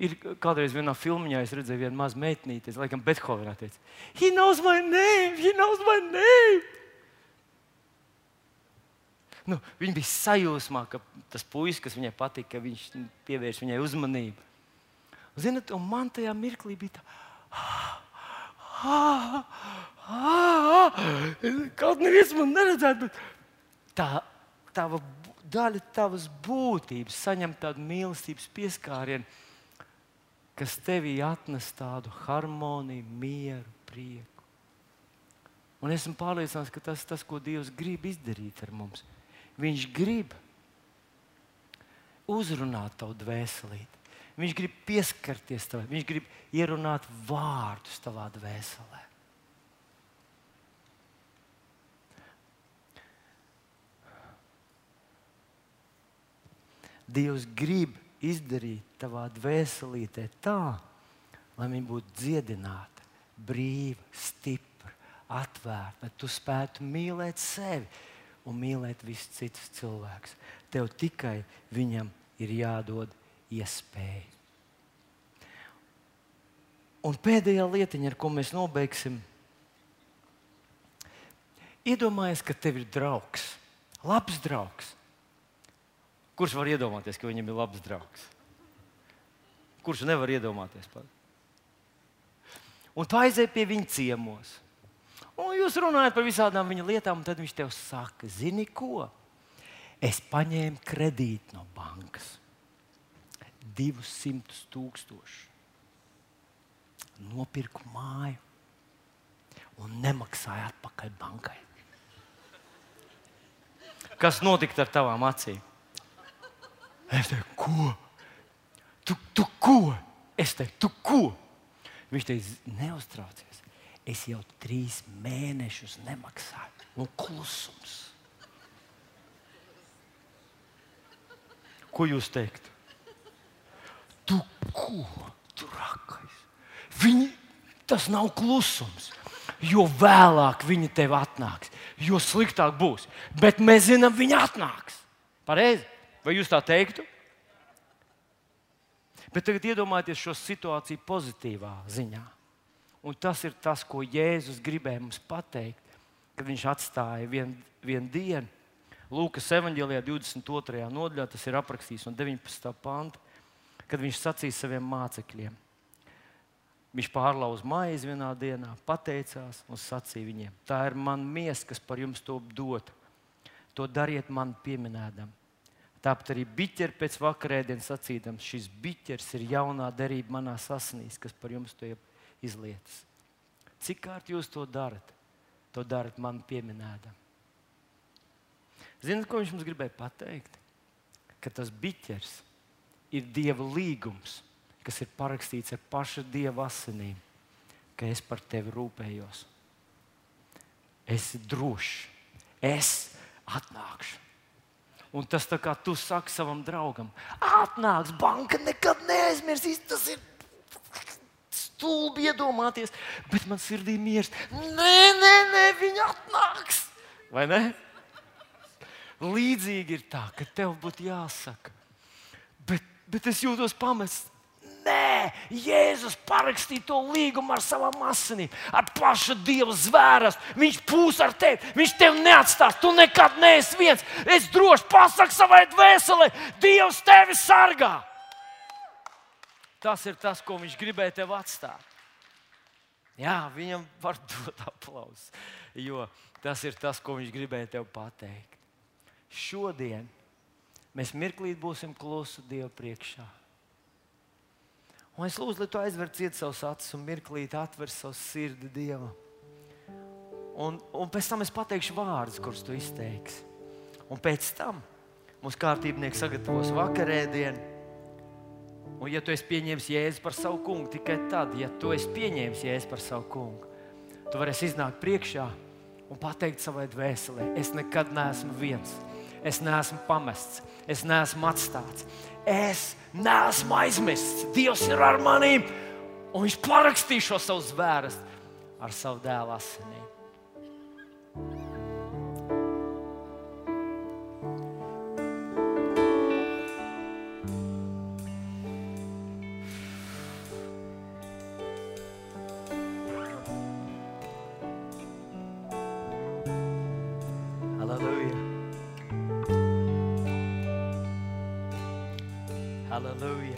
Ir kādreiz vienā filmiņā es redzēju vienu mazu meitnīti, es laikam Bethovenā teicu, he knows my name, he knows my name. Nu, viņa bija sajūsmā, ka tas puisis, kas viņai patīk, ka viņš pievērš viņai uzmanību. Ziniet, un man tajā mirklī bija tā, ah, ah, kaut neviens man neredzētu, bet tā, tava daļa tavas būtības saņem tādu mīlestības pieskārienu, kas tevī atnes tādu harmoniju, mieru, prieku. Un esmu pārliecināts, ka tas ir tas, ko Dievs grib izdarīt ar mums. Viņš grib uzrunāt tavu dvēselīti. Viņš grib pieskarties tev, viņš grib ierunāt vārdus tavā dvēselē. Dievs grib izdarīt tavā dvēselītē tā, lai viņi būtu dziedināti, brīvi, stipri, atvērti, lai tu spētu mīlēt sevi un mīlēt visus citus cilvēkus. Tev tikai viņam ir jādod iespēja. Un pēdējā lietiņa, ar ko mēs nobeigsim, iedomājies, ka tev ir draugs, labs draugs. Kurš var iedomāties, ka viņam ir labs draugs? Kurš nevar iedomāties? Pat? Un tu aizej pie viņa ciemos. Un jūs runājat par visādām viņa lietām, un tad viņš tev saka, zini ko? Es paņēmu kredītu no bankas. Divus simtus tūkstošu. Nopirku māju un nemaksāju atpakaļ bankai. Kas notika ar tavām acīm? Es teicu, ko? Tu, tu ko? Es teicu, tu ko? Viņš teica, neuztraucies. Es jau trīs mēnešus nemaksāju. Un klusums. Ko jūs teiktu? Tu ko? Tu rakais. Viņi, tas nav klusums. Jo vēlāk viņi tev atnāks, jo sliktāk būs. Bet mēs zinām, viņi atnāks. Pareizi? Vai jūs tā teiktu? Bet tagad iedomājieties šo situāciju pozitīvā ziņā. Un tas ir tas, ko Jēzus gribēja mums pateikt, kad viņš atstāja vienu vien dienu. Lūkas evaņģēlijā divdesmit otrajā nodaļā tas ir aprakstīts no deviņpadsmitā panta, kad viņš sacīja saviem mācekļiem. Viņš pārlauza maizi vienā dienā, pateicās un sacīja viņiem, tā ir mana miesa, kas par jums to dota. To dariet man pieminēdam. Tāpat arī biķeri pēc vakarēdienas sacīdams, šis biķers ir jaunā derība manā asinīs, kas par jums to izlietas. Cik kārt jūs to darat? To darat man pieminēdam. Zināt, ko viņš mums gribēja pateikt? Ka tas biķers ir Dieva līgums, kas ir parakstīts ar paša Dieva asinīm, ka es par tevi rūpējos. Esi drošs, es atnākšu. Un tas tā kā tu saki savam draugam, atnāks, banka nekad neaizmirsīs, tas ir stulbi iedomāties, bet man sirdī miers. Nē, nē, nē, viņi atnāks. Vai ne? Līdzīgi ir tā, ka tev būtu jāsaka, bet, bet es jūtos pamests. Nē, Jēzus parakstīja to līgumu ar savām asinīm, ar paša Dieva zvērestu. Viņš būs ar tevi, viņš tevi neatstās, tu nekad neesi viens. Es droši pasaku savai dvēselē, Dievs tevi sargā. Tas ir tas, ko viņš gribēja tev atstāt. Jā, viņam var dot aplausus, jo tas ir tas, ko viņš gribēja tev pateikt. Šodien mēs mirklīt būsim klusi Dieva priekšā. Un es lūdzu, lai tu aizver ciet savus acis un mirklīt atver savu sirdi Dievam. Un, un pēc tam es pateikšu vārdus, kurus tu izteiksi. Un pēc tam mūsu kārtībnieks sagatavos vakarēdienu. Un ja tu esi pieņēmis Jēzu par savu kungu, tikai tad, ja tu esi pieņēmis Jēzu par savu kungu, tu varēsi iznākt priekšā un pateikt savai dvēselē, es nekad neesmu viens. Es neesmu pamests, es neesmu atstāts, es neesmu aizmirsts. Dievs ir ar manīm, un viņš parakstīja šo savu zvērestu ar savu dēla asinīm. Halleluja.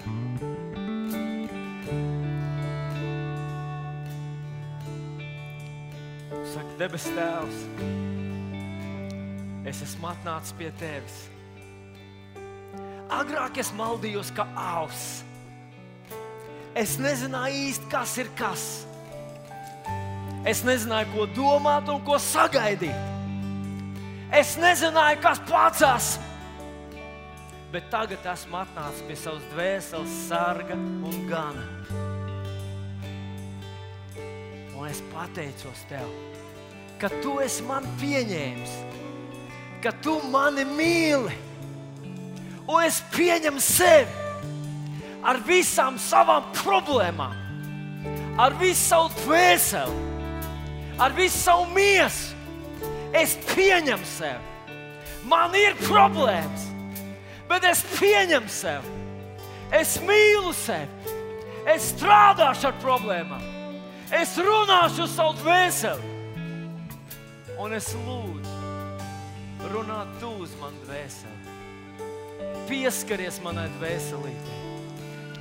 Saka, debes Tēvs, es esmu atnācis pie Tevis. Agrāk es maldījos kā avs. Es nezināju īsti, kas ir kas. Es nezināju, ko domāt un ko sagaidīt. Es nezināju, kas pacās. Bet tagad esmu atnācis pie savas dvēseles sarga un gana. Un es pateicos Tev, ka Tu esi mani pieņēmis, ka Tu mani mīli un es pieņemu sevi ar visām savām problēmām, ar visu savu dvēseli, ar visu savu miesu. Es pieņemu sevi. Man ir problēmas, bet es pieņemu sevi. Es mīlu sevi. Es strādāšu ar problēmām. Es runāšu uz savu dvēseli. Un es lūdzu, runā tu uz manu dvēseli. Pieskaries manai dvēselītei.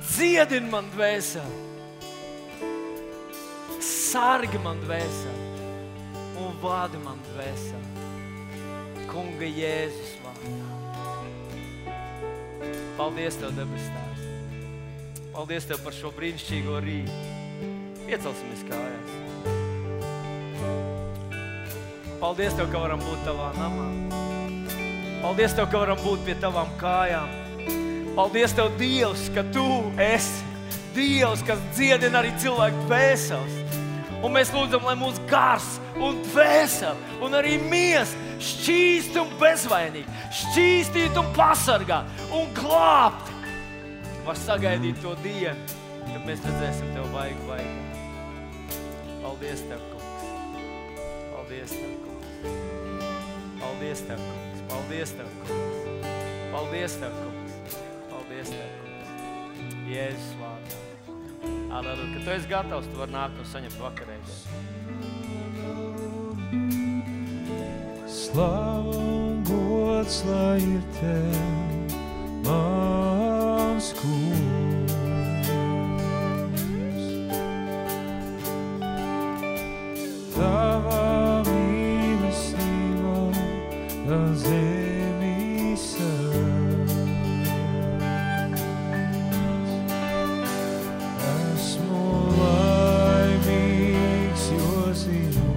Dziedini man dvēseli. Sargi man dvēseli. Un vādi man dvēseli. Kunga Jēzus vārdā. Paldies Tev, debes Tēvs. Paldies Tev par šo brīnišķīgo rītu. Iecelsimies kājās. Paldies Tev, ka varam būt Tavā namā. Paldies Tev, ka varam būt pie Tavām kājām. Paldies Tev, Dievs, ka Tu esi Dievs, kas dziedina arī cilvēku dvēseles. Un mēs lūdzam, lai mūsu gars un dvēseli un arī mies šķīst un bezvainīgi, šķīstīt un pasargāt un glābt. Var sagaidīt to dienu, kad mēs redzēsim Tev vaigu vaigā. Paldies Tev, Kungs. Paldies Tev, Kungs. Paldies Tev, Kungs. Paldies Tev, Kungs. Paldies Tev, Kungs. Paldies Tev, Kungs. Jēzus vārdā. Aleluja. Kad Tu esi gatavs, Tu vari nākt un saņemt vakarēdienu. Slava un gods, lai ir Tev, mans Kungs. Tava mīlestība, tā zemi sēdz. Esmu laimīgs, jo zinu,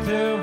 Tev